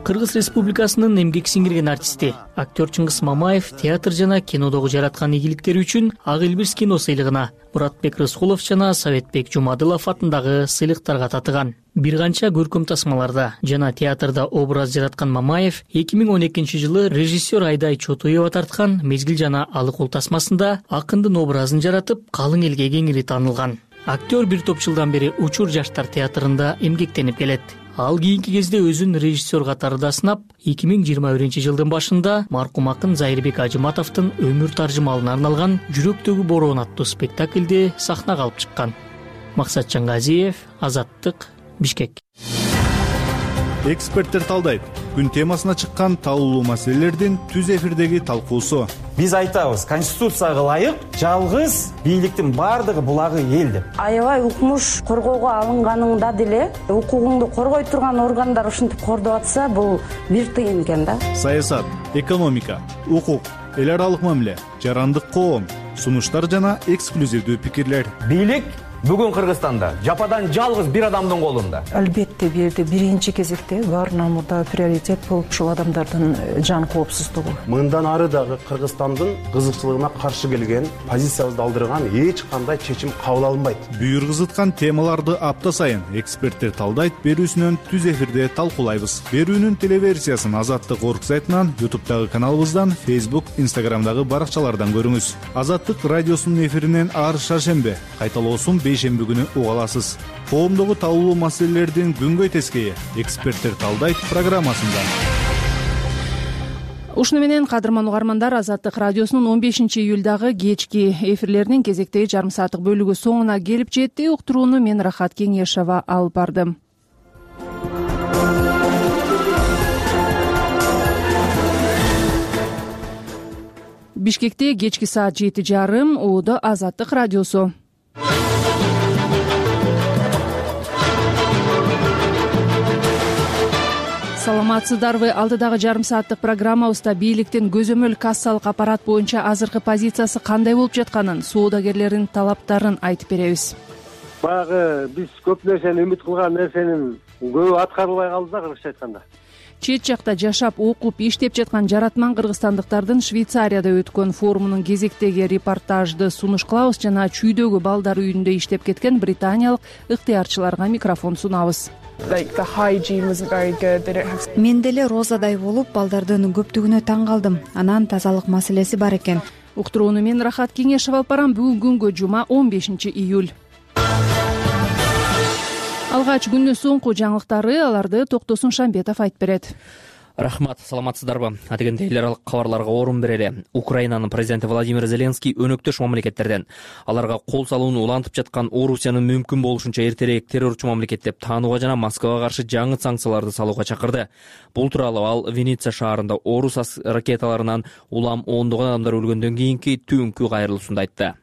Кыргыз Республикасынын эмгек сиңирген артисти, актер Чыңгыз Мамаев театр жана кинодогу жараткан ийгиликтери үчүн Ак Илбирс кино сыйлыгына, Муратбек Рыскулов жана Советбек Жумадылов атындагы сыйлыктарга татыган. Бир канча көркөм тасмаларда жана театрда образ жараткан Мамаев эки миң он экинчи жылы режиссер Айдай Чотоева тарткан Мезгил жана Алык ул тасмасында акындын образын жаратып, калың элге кеңири таанылган. Актер бир топ жылдан бери Учур жаштар театрында эмгектенип келет. Ал кийинки кезде өзүн режиссер катарында сынап, эки миң жыйырма биринчи жылдын башында маркум акын Зайырбек Ажыматовдун өмүр таржымалына арналган Жүрөктөгү бороон аттуу спектакльди сахнага алып чыккан. Максат Чангазиев, Азаттык, Бишкек. Эксперттер талдайт. Күн темасына чыккан талуулуу маселелердин түз эфирдеги талкуусу. Биз айтабыз, Конституцияга ылайык жалгыз бийликтин бардыгы булагы эл деп. Аябай укмуш коргоого алынганыңда деле укугуңду коргой турган органдар ушинтип кордоп атса, бул бир тыйын экен да. Саясат, экономика, укук, эл аралык мамиле, жарандык коом, сунуштар жана эксклюзивдүү пикирлер. Бийлик бүгүн Кыргызстанда жападан жалгыз бир адамдын колунда. Албетте бул жерде биринчи кезекте баарынан мурда приоритет болуп ушул адамдардын жан коопсуздугу. Мындан ары дагы Кыргызстандын кызыкчылыгына каршы келген, позициябызды алдырган эч кандай чечим кабыл алынбайт. Бүйүр кызыткан темаларды апта сайын эксперттер талдайт, берүүсүнөн түз эфирде талкуулайбыз. Берүүнүн телеверсиясын Азаттык орг сайтынан, ютубтагы каналыбыздан, Facebook, Instagramдагы баракчалардан көрүңүз. Азаттык радиосунун эфиринен ар шаршембе, кайталоосун бейшемби күнү уга аласыз. Коомдогу талкуулуу маселелердин күнгөй тескейи эксперттер талдайт программасында. Ушуну менен кадырман угармандар, Азаттык радиосунун он бешинчи июлдагы кечки эфирлеринин кезектеги жарым сааттык бөлүгү соңуна келип жетти. Уктурууну мен Рахат Кеңешова алып бардым. Бишкекте кечки саат жети жарым, Оодо Азаттык радиосу. Саламатсыздарбы? Алдыдагы жарым сааттык программабызда бийликтин көзөмөл кассалык аппарат боюнча азыркы позициясы кандай болуп жатканын, соодагерлердин талаптарын айтып беребиз. Баягы биз көп нерсени үмүт кылган нерсенин көбү аткарылбай калды да, кыргызча айтканда. Чет жакта жашап, окуп, иштеп жаткан жаратман кыргызстандыктардын Швейцарияда өткөн форумунун кезектеги репортажды сунуш кылабыз жана чүйдөгү балдар үйүндө иштеп кеткен британиялык ыктыярчыларга микрофон сунабыз. Мен деле розадай болуп, балдардын көптүгүнө таң калдым. Анан тазалык маселеси бар экен. Уктурууну мен Рахат Кеңешова алып барам. Бүгүн күнгө жума он бешинчи июль. Алгач күндүн соңку жаңылыктары, аларды Токтосун Шамбетов айтып берет. Рахмат, саламатсыздарбы? Атегенде эл аралык кабарларга орун берели. Украинанын президенти Владимир Зеленский өнөктөш мамлекеттерден аларга кол салууну улантып жаткан Орусияны мүмкүн болушунча эртерээк террорчу мамлекет деп таанууга жана Москвага каршы жаңы санкцияларды салууга чакырды. Бул тууралуу ал Венеция шаарында Орус ракеталарынан улам ондогон адамдар өлгөндөн кийинки түнкү кайрылуусунда айтты.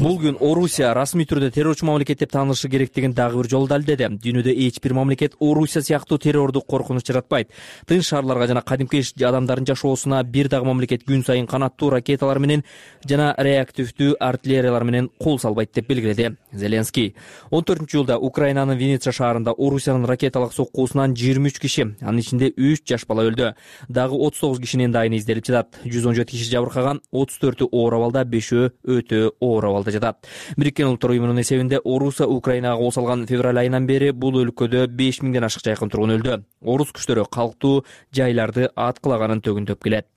Бул күн Орусия расмий түрдө террорчу мамлекет деп таанылышы керектигин дагы бир жолу далилдеди. Дүйнөдө эч бир мамлекет Орусия сыяктуу террордук коркунуч жаратпайт. Тынч шаарларга жана кадимки адамдардын жашоосуна бир дагы мамлекет күн сайын канаттуу ракеталар менен жана реактивдүү артиллериялар менен кол салбайт деп белгиледи Зеленский. он төртүнчү июлда Украинанын Венеция шаарында Орусиянын ракеталык соккуусунан жыйырма үч киши, анын ичинде үч жаш бала өлдү. Дагы отуз тогуз кишинин дайыны изделип жатат. жүз он жети киши жабыркаган, отуз төртү оор абалда, бешөө өтө оор абалда жатат. Бириккен Улуттар уюмунун эсебинде Орусия Украинага кол салган февраль айынан бери бул өлкөдө беш миңден ашык жайкын тургун өлдү. Орус күчтөрү калктуу жайларды аткылаганын төгүндөп келет.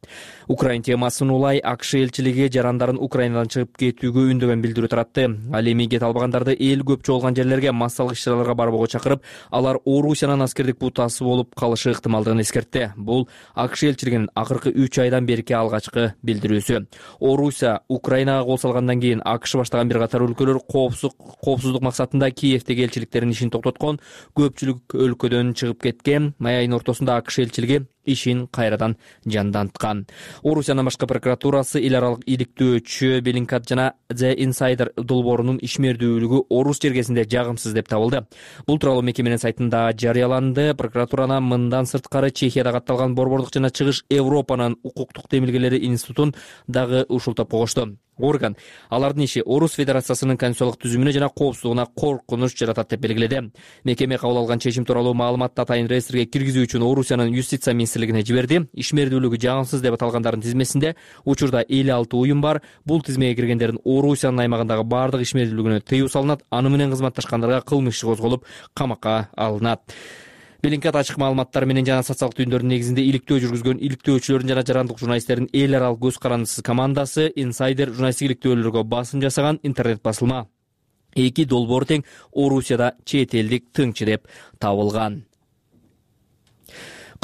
Украин темасын улай АКШ элчилиги жарандарын Украинадан чыгып кетүүгө үндөгөн билдирүү таратты. Ал эми кете албагандарды эл көп чогулган жерлерге массалык иш-чараларга барбоого чакырып, алар Орусиянын аскердик бутасы болуп калышы ыктымалдыгын эскертти. Бул АКШ элчилигинин акыркы үч айдан берки алгачкы билдирүүсү. Орусия Украинага кол салгандан кийин АКШ баштаган бир катар өлкөлөр коопсуздук максатында Киевдеги элчиликтеринин ишин токтоткон. Көпчүлүк өлкөдөн чыгып кеткен. Май айынын ортосунда АКШ элчилиги ишин кайрадан жанданткан. Орусиянын башкы прокуратурасы эл аралык иликтөөчү Беллингкат жана The Insider долбоорунун ишмердүүлүгү Орус жергесинде жагымсыз деп табылды. Бул тууралуу мекеменин сайтында жарыяланды. Прокуратураны мындан сырткары Чехияда катталган Борбордук жана Чыгыш Европанын укуктук демилгелери институтун дагы ушултап койгошту. Орган алардын иши Орус Федерациясынын конституциялык түзүмүнө жана коопсуздугуна коркунуч жаратат деп белгиледи. Мекеме кабыл алган чечим тууралуу маалыматты атайын реестрге киргизүү үчүн Орусиянын юстиция министрлигине жиберди. Ишмердүүлүгү жагымсыз деп аталгандардын тизмесинде учурда элүү алты уюм бар. Бул тизмеге киргендердин Орусиянын аймагындагы бардык ишмердүүлүгүнө тыюу салынат, аны менен кызматташкандарга кылмыш иши козголуп, камакка алынат. Беллингкат ачык маалыматтар менен жана социалдык түйүндөрдүн негизинде иликтөө жүргүзгөн иликтөөчүлөрдүн жана жарандык журналисттердин эл аралык көз карандысыз командасы Insider журналисттик иликтөөлөргө басым жасаган интернет басылма. Эки долбоор тең Орусияда чет элдик тыңчы деп табылган.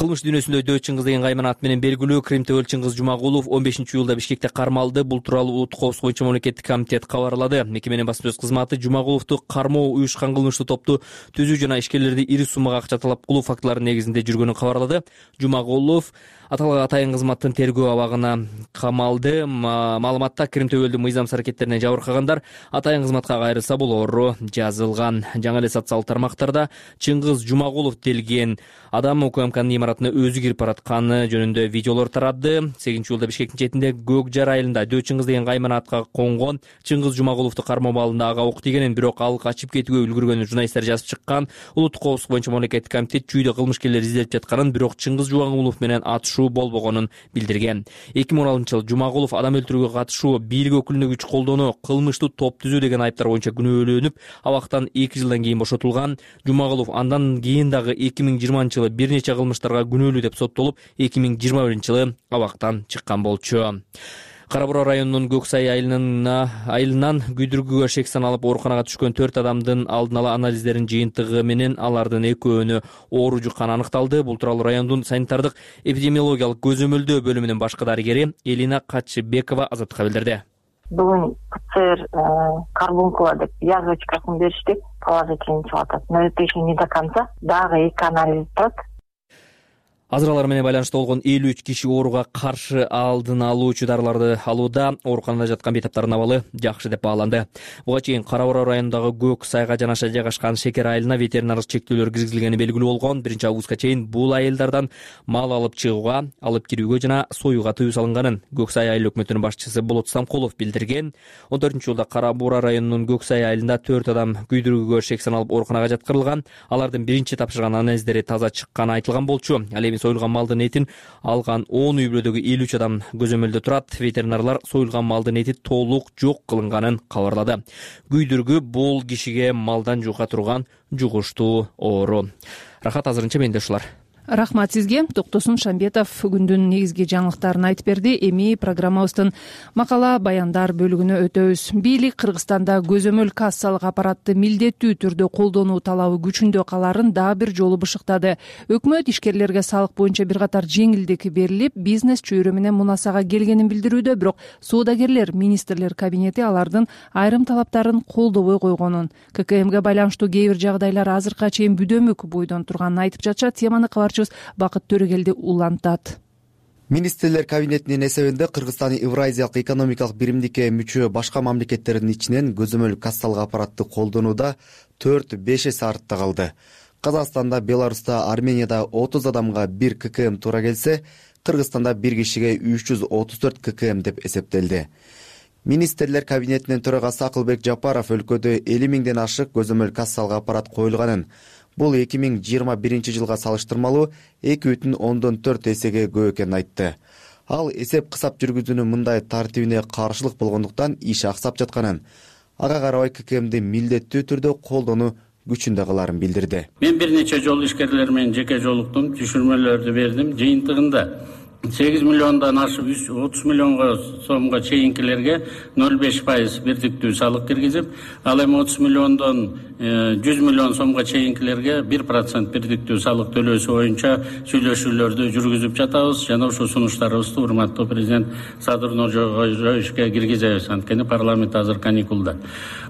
Кылмыш дүйнөсүндө Дөт Чыңгыз деген кайман ат менен белгилүү Крим Төбөл Чыңгыз Жумагулов он бешинчи июлда Бишкекте кармалды. Бул тууралуу Улуттук коопсуздук боюнча мамлекеттик комитет кабарлады. Мекеменин басма сөз кызматы Жумагуловду кармоо, уюшкан кылмыштуу топту түзүү жана ишкерлерди ири суммага акча талап кылуу фактыларынын негизинде жүргөнүн кабарлады. Жумагулов аталган атайын кызматтын тергөө абагына камалды. Маалыматта Крим Төбөлдүн мыйзамсыз аракеттерине жабыркагандар атайын кызматка кайрылса болору жазылган. Жаңы эле социалдык тармактарда Чыңгыз Жумагулов делген адам УКМКнын имаратына өзү кирип баратканы жөнүндө видеолор тарады. сегизинчи июлда Бишкектин четинде Көк Жар айылында Дөө Чыңгыз деген кайманатка конгон Чыңгыз Жумагуловду кармоо абалында ага ок тигенин, бирок ал качып кетүүгө үлгүргөнүн журналисттер жазып чыккан. Улуттук коопсуздук боюнча мамлекеттик комитет чүйдө кылмышкерлер издеп жатканын, бирок Чыңгыз Жумагулов менен атышуу болбогонун билдирген. эки миң он алтынчы жылы Жумагулов адам өлтүрүүгө катышуу, бийлик өкүлүнө күч колдонуу, кылмыштуу топ түзүү деген айыптар боюнча күнөөлөнүп, абактан эки жылдан кийин бошотулган. Жумагулов андан кийин дагы эки миң жыйырманчы жылы бир нече кылмыштарга күнөөлүү деп соттолуп, эки миң жыйырма биринчи жылы абактан чыккан болчу. Кара Бура районунун Көк Сай айылынан күйдүргүгө шек саналып ооруканага түшкөн төрт адамдын алдын ала анализдеринин жыйынтыгы менен алардын экөөнү оору жукканы аныкталды. Бул тууралуу райондун санитардык эпидемиологиялык көзөмөлдөө бөлүмүнүн башкы дарыгери Элина Катчыбекова Азаттыкка билдирди. Бүгүн ПЦР карбункула деп язвочкасын беришти, положительный чыгып атат. Но это еще не до конца. Дагы эки анализ турат. Азыралар менен байланышта болгон элүү үч киши ооруга каршы алдын алуучу дарыларды алууда. Ооруканада жаткан бейтаптардын абалы жакшы деп бааланды. Буга чейин Кара Бура районундагы Көк Сайга жанаша жайгашкан шекер айылына ветеринардык чектөөлөр киргизилгени белгилүү болгон. биринчи августка чейин бул айылдардан мал алып чыгууга, алып кирүүгө жана союуга тыюу салынганын Көк Сай айыл өкмөтүнүн башчысы Болот Самкулов билдирген. он төртүнчү жылда Кара Бура районунун Көк Сай айылында төрт адам күйдүргүгө шек саналып ооруканага жаткырылган. Алардын биринчи тапшырган анализдери таза чыкканы айтылган болчу. Ал эми союлган малдын этин алган он үй бүлөдөгү элүү үч адам көзөмөлдө турат. Ветеринарлар союлган малдын эти толук жок кылынганын кабарлады. Күйдүргү бул кишиге малдан жука турган жугуштуу оору. Рахат, азырынча менде ушулар. Рахмат сизге. Токтосун Шамбетов күндүн негизги жаңылыктарын айтып берди. Эми программабыздын макала баяндар бөлүгүнө өтөбүз. Бийлик Кыргызстанда көзөмөл кассалык аппаратты милдеттүү түрдө колдонуу талабы күчүндө каларын дагы бир жолу бышыктады. Өкмөт ишкерлерге салык боюнча бир катар жеңилдик берилип, бизнес чөйрө менен мунасага келгенин билдирүүдө, бирок соодагерлер министрлер кабинети алардын айрым талаптарын колдобой койгонун, ККМге байланыштуу кээ бир жагдайлар азыркыга чейин бүдөмүк бойдон турганын айтып жатышат. Теманы кабарчыбыз Бакыт Төрөгелди улантат. Министрлер кабинетинин эсебинде Кыргызстан Евразиялык экономикалык биримдикке мүчө башка мамлекеттердин ичинен көзөмөл кассалык аппаратты колдонууда төрт беш эсе артта калды. Казакстанда, Беларуста, Арменияда отуз адамга бир ККМ туура келсе, Кыргызстанда бир кишиге үч жүз отуз төрт ККМ деп эсептелди. Министрлер кабинетинин төрагасы Акылбек Жапаров өлкөдө элүү миңден ашык көзөмөл кассалык аппарат коюлганын, бул эки миң жыйырма биринчи жылга салыштырмалуу эки бүтүн ондон төрт эсеге көп экенин айтты. Ал эсеп-кысап жүргүзүүнүн мындай тартибине каршылык болгондуктан иш аксап жатканын, ага карабай ККМди милдеттүү түрдө колдонуу күчүндө каларын билдирди. Мен бир нече жолу ишкерлер менен жеке жолуктум, түшүрмөлөрдү бердим. Жыйынтыгында сегиз миллиондон ашып отуз миллионго сомго чейинкилерге ноль беш пайыз бирдиктүү салык киргизип, ал эми отуз миллиондон жүз миллион сомго чейинкилерге бир процент бирдиктүү салык төлөөсү боюнча сүйлөшүүлөрдү жүргүзүп жатабыз. Жана ошол сунуштарыбызды урматтуу президент Садыр Нуржоюшке киргизебиз. Анткени парламент азыр каникулда.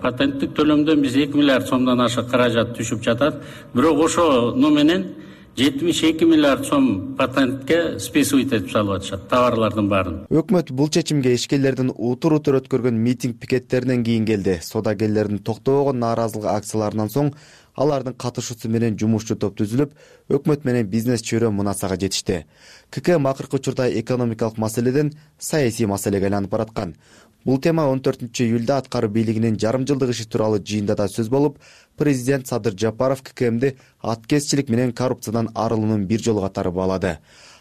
Патенттик төлөмдөн биз эки миллиард сомдон ашык каражат түшүп жатат. Бирок ошону менен жетимиш эки миллиард сом патентке списывать этип салып атышат товарлардын баарын. Өкмөт бул чечимге ишкерлердин утур утур өткөргөн митинг пикеттеринен кийин келди. Соодагерлердин токтобогон нааразылык акцияларынан соң алардын катышуусу менен жумушчу топ түзүлүп, өкмөт менен бизнес чөйрө мунасага жетишти. ККМ акыркы учурда экономикалык маселеден саясий маселеге айланып бараткан. Бул тема он төртүнчү июлда аткаруу бийлигинин жарым жылдык иши тууралуу жыйында да сөз болуп, президент Садыр Жапаров ККМди аткезчилик менен коррупциядан арылуунун бир жолу катары баалады.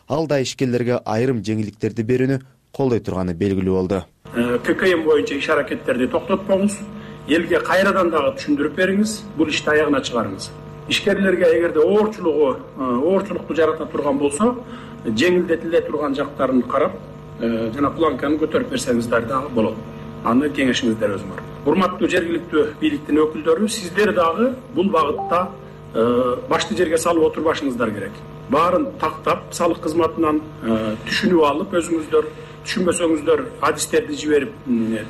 Ал да ишкерлерге айрым жеңилдиктерди берүүнү колдой турганы белгилүү болду. ККМ боюнча иш аракеттерди токтотпоңуз, элге кайрадан дагы түшүндүрүп бериңиз, бул ишти аягына чыгарыңыз. Ишкерлерге эгерде оорчулугу, оорчулукту жарата турган болсо, жеңилдетиле турган жактарын карап, жана планканы көтөрүп берсеңиздер дагы болот. Аны кеңешиңиздер өзү бар. Урматтуу жергиликтүү бийликтин өкүлдөрү, сиздер дагы бул багытта башты жерге салып отурбашыңыздар керек. Баарын тактап, салык кызматынан түшүнүп алып, өзүңүздөр түшүнбөсөңүздөр адистерди жиберип,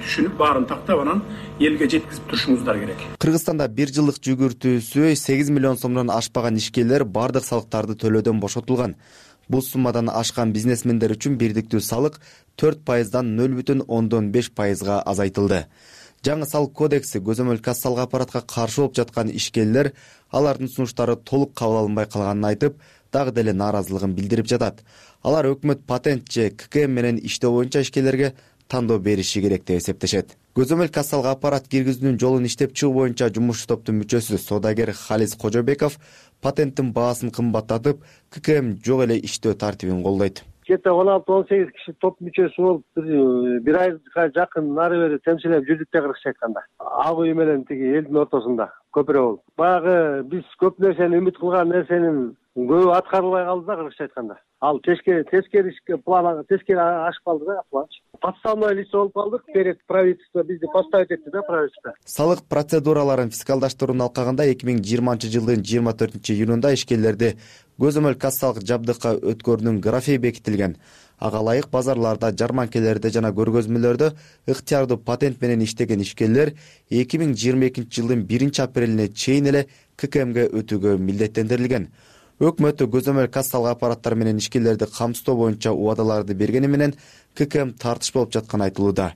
түшүнүп, баарын тактап, анан элге жеткизип турушуңуздар керек. Кыргызстанда бир жылдык жүгүртүүсү сегиз миллион сомдон ашпаган ишкерлер бардык салыктарды төлөөдөн бошотулган. Бул суммадан ашкан бизнесмендер үчүн бирдиктүү салык төрт пайыздан ноль бүтүн ондон беш пайызга азайтылды. Жаңы салык кодекси көзөмөл кассалык аппаратка каршы болуп жаткан ишкерлер алардын сунуштары толук кабыл алынбай калганын айтып, дагы деле нааразылыгын билдирип жатат. Алар өкмөт патент же ка ка эм менен иштөө боюнча ишкерлерге тандоо бериши керек деп эсептешет. Көзөмөл кассалык аппарат киргизүүнүн жолун иштеп чыгуу боюнча жумушчу топтун мүчөсү соодагер Халис Кожобеков патенттин баасын кымбаттатып, ка ка эм жок эле иштөө тартибин колдойт. Кете он алты он сегиз киши топ мүчөсү болуп бир айга жакын нары бери темселеп жүрдүк да, кыргызча айтканда. Ак үй менен тиги элдин ортосунда көпүрө болуп. Баягы биз көп нерсени үмүт кылган нерсенин көбү аткарылбай калды да, кыргызча айтканда. Ал тескери тескери план тескери ашып калды да, план. Подставное лицо болуп калдык. Перед правительство бизди поставить этти да, правительство. Салык процедураларын фискалдаштырууну алкаганда эки миң жыйырманчы жылдын жыйырма төртүнчү июнунда ишкерлерди көзөмөл кассалык жабдыкка өткөрүүнүн графиги бекитилген. Ага ылайык базарларда, жарманкелерде жана көргөзмөлөрдө ыктыярдуу патент менен иштеген ишкерлер эки миң жыйырма экинчи жылдын биринчи апрелине чейин эле ка ка эмге өтүүгө милдеттендирилген. Өкмөтү көзөмөл кассалык аппараттар менен ишкерлерди камсыздоо боюнча убадаларды бергени менен ка ка эм тартыш болуп жатканы айтылууда.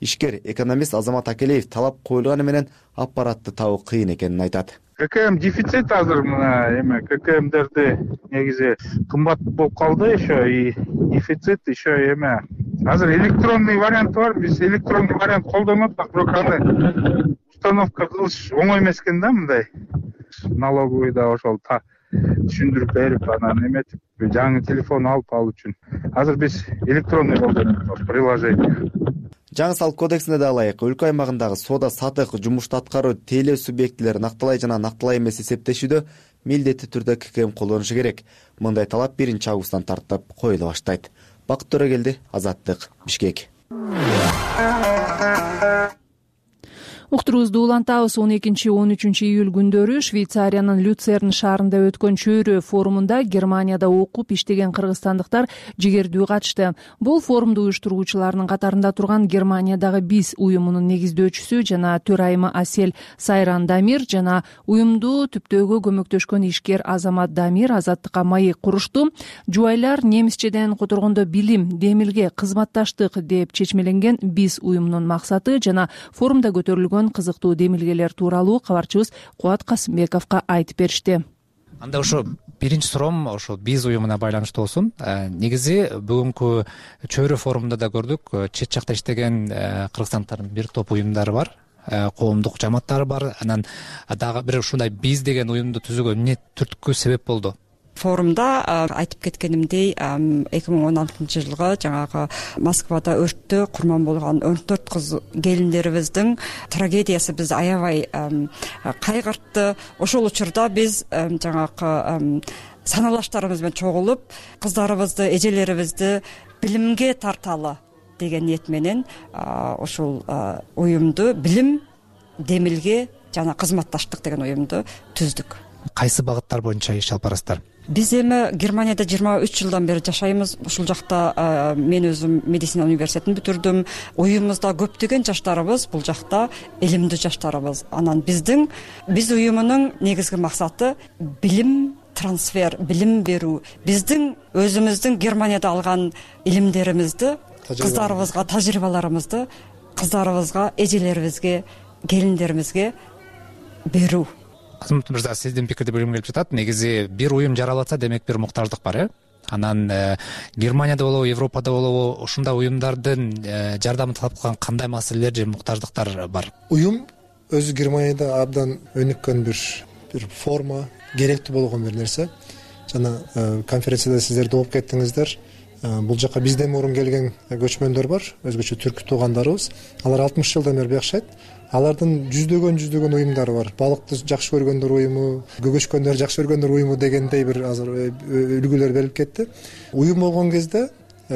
Ишкер экономист Азамат Акелеев талап коюлганы менен аппаратты табуу кыйын экенин айтат. ка ка эм дефицит азыр мына эме ка ка эмдерди негизи кымбат болуп калды, еще и дефицит, еще эме азыр электронный вариант бар. Биз электронный вариант колдонуп атат, бирок аны установка кылыш оңой эмес экен да, мындай налоговыйда ошол түшүндүрүп берип анан эметип жаңы телефон алып алуу үчүн азыр биз электронный колдонуп приложение. Жаңы салык кодексине да ылайык өлкө аймагындагы соода сатык жумушту аткаруу тейлөө субъектилери накталай жана накталай эмес эсептешүүдө милдеттүү түрдө ка ка эм колдонушу керек. Мындай талап биринчи августтан тартып коюла баштайт. Бакыт Төрөгелди, Азаттык, Бишкек. Уктуруубузду улантабыз. он экинчи он үчүнчү июль күндөрү Швейцариянын Люцерн шаарында өткөн чөйрө форумунда Германияда окуп иштеген кыргызстандыктар жигердүү катышты. Бул форумду уюштуруучулардын катарында турган Германиядагы биз уюмунун негиздөөчүсү жана төрайымы Асель Сайран Дамир жана уюмду түптөөгө көмөктөшкөн ишкер Азамат Дамир Азаттыкка маек курушту. Жубайлар немисчеден которгондо билим, демилге, кызматташтык деп чечмеленген биз уюмунун максаты жана форумда көтөрүлгөн кызыктуу демилгелер тууралуу кабарчыбыз Кубат Касымбековго айтып беришти. Анда ошо биринчи суроом ошо биз уюмуна байланыштуу болсун. Негизи бүгүнкү чөйрө форумунда да көрдүк, чет жакта иштеген кыргызстандыктардын бир топ уюмдары бар, коомдук жамааттары бар. Анан дагы бир ушундай биз деген уюмду түзүүгө эмне түрткү себеп болду? Форумда айтып кеткенимдей эки миң он алтынчы жылгы жаңагы Москвада өрттө курман болгон он төрт кыз келиндерибиздин трагедиясы бизди аябай кайгыртты. Ошол учурда биз жаңагы саналаштарыбыз менен чогулуп кыздарыбызды, эжелерибизди билимге тарталы деген ниет менен ошол уюмду билим, демилге жана кызматташтык деген уюмду түздүк. Кайсы багыттар боюнча иш алып барасыздар? Биз эми Германияда жыйырма үч жылдан бери жашайбыз. Ушул жакта мен өзүм медицина университетин бүтүрдүм. Уюмубузда көптөгөн жаштарыбыз бул жакта илимдүү жаштарыбыз. Анан биздин биз уюмунун негизги максаты билим трансфер, билим берүү. Биздин өзүмүздүн Германияда алган илимдеримизди кыздарыбызга, тажрыйбаларыбызды кыздарыбызга, эжелерибизге, келиндеримизге берүү. Азамат мырза, сиздин пикирди билгим келип жатат. Негизи бир уюм жаралатса, демек бир муктаждык бар, э? Анан Германияда болобу, Европада болобу, ушундай уюмдардын жардамын талап кылган кандай маселелер же муктаждыктар бар? Уюм өзү Германияда абдан өнүккөн бир бир форма, керектүү болгон бир нерсе. Жана конференцияда сиздер да угуп кеттиңиздер. Бул жака бизден мурун келген көчмөндөр бар, өзгөчө түрк туугандарыбыз. Алар алтымыш жылдан бери жашайт. Алардын жүздөгөн жүздөгөн уюмдары бар. Балыкты жакшы көргөндөр уюму, көгөшкөндөр жакшы көргөндөр уюму дегендей бир азыр үлгүлөр берилип кетти. Уюм болгон кезде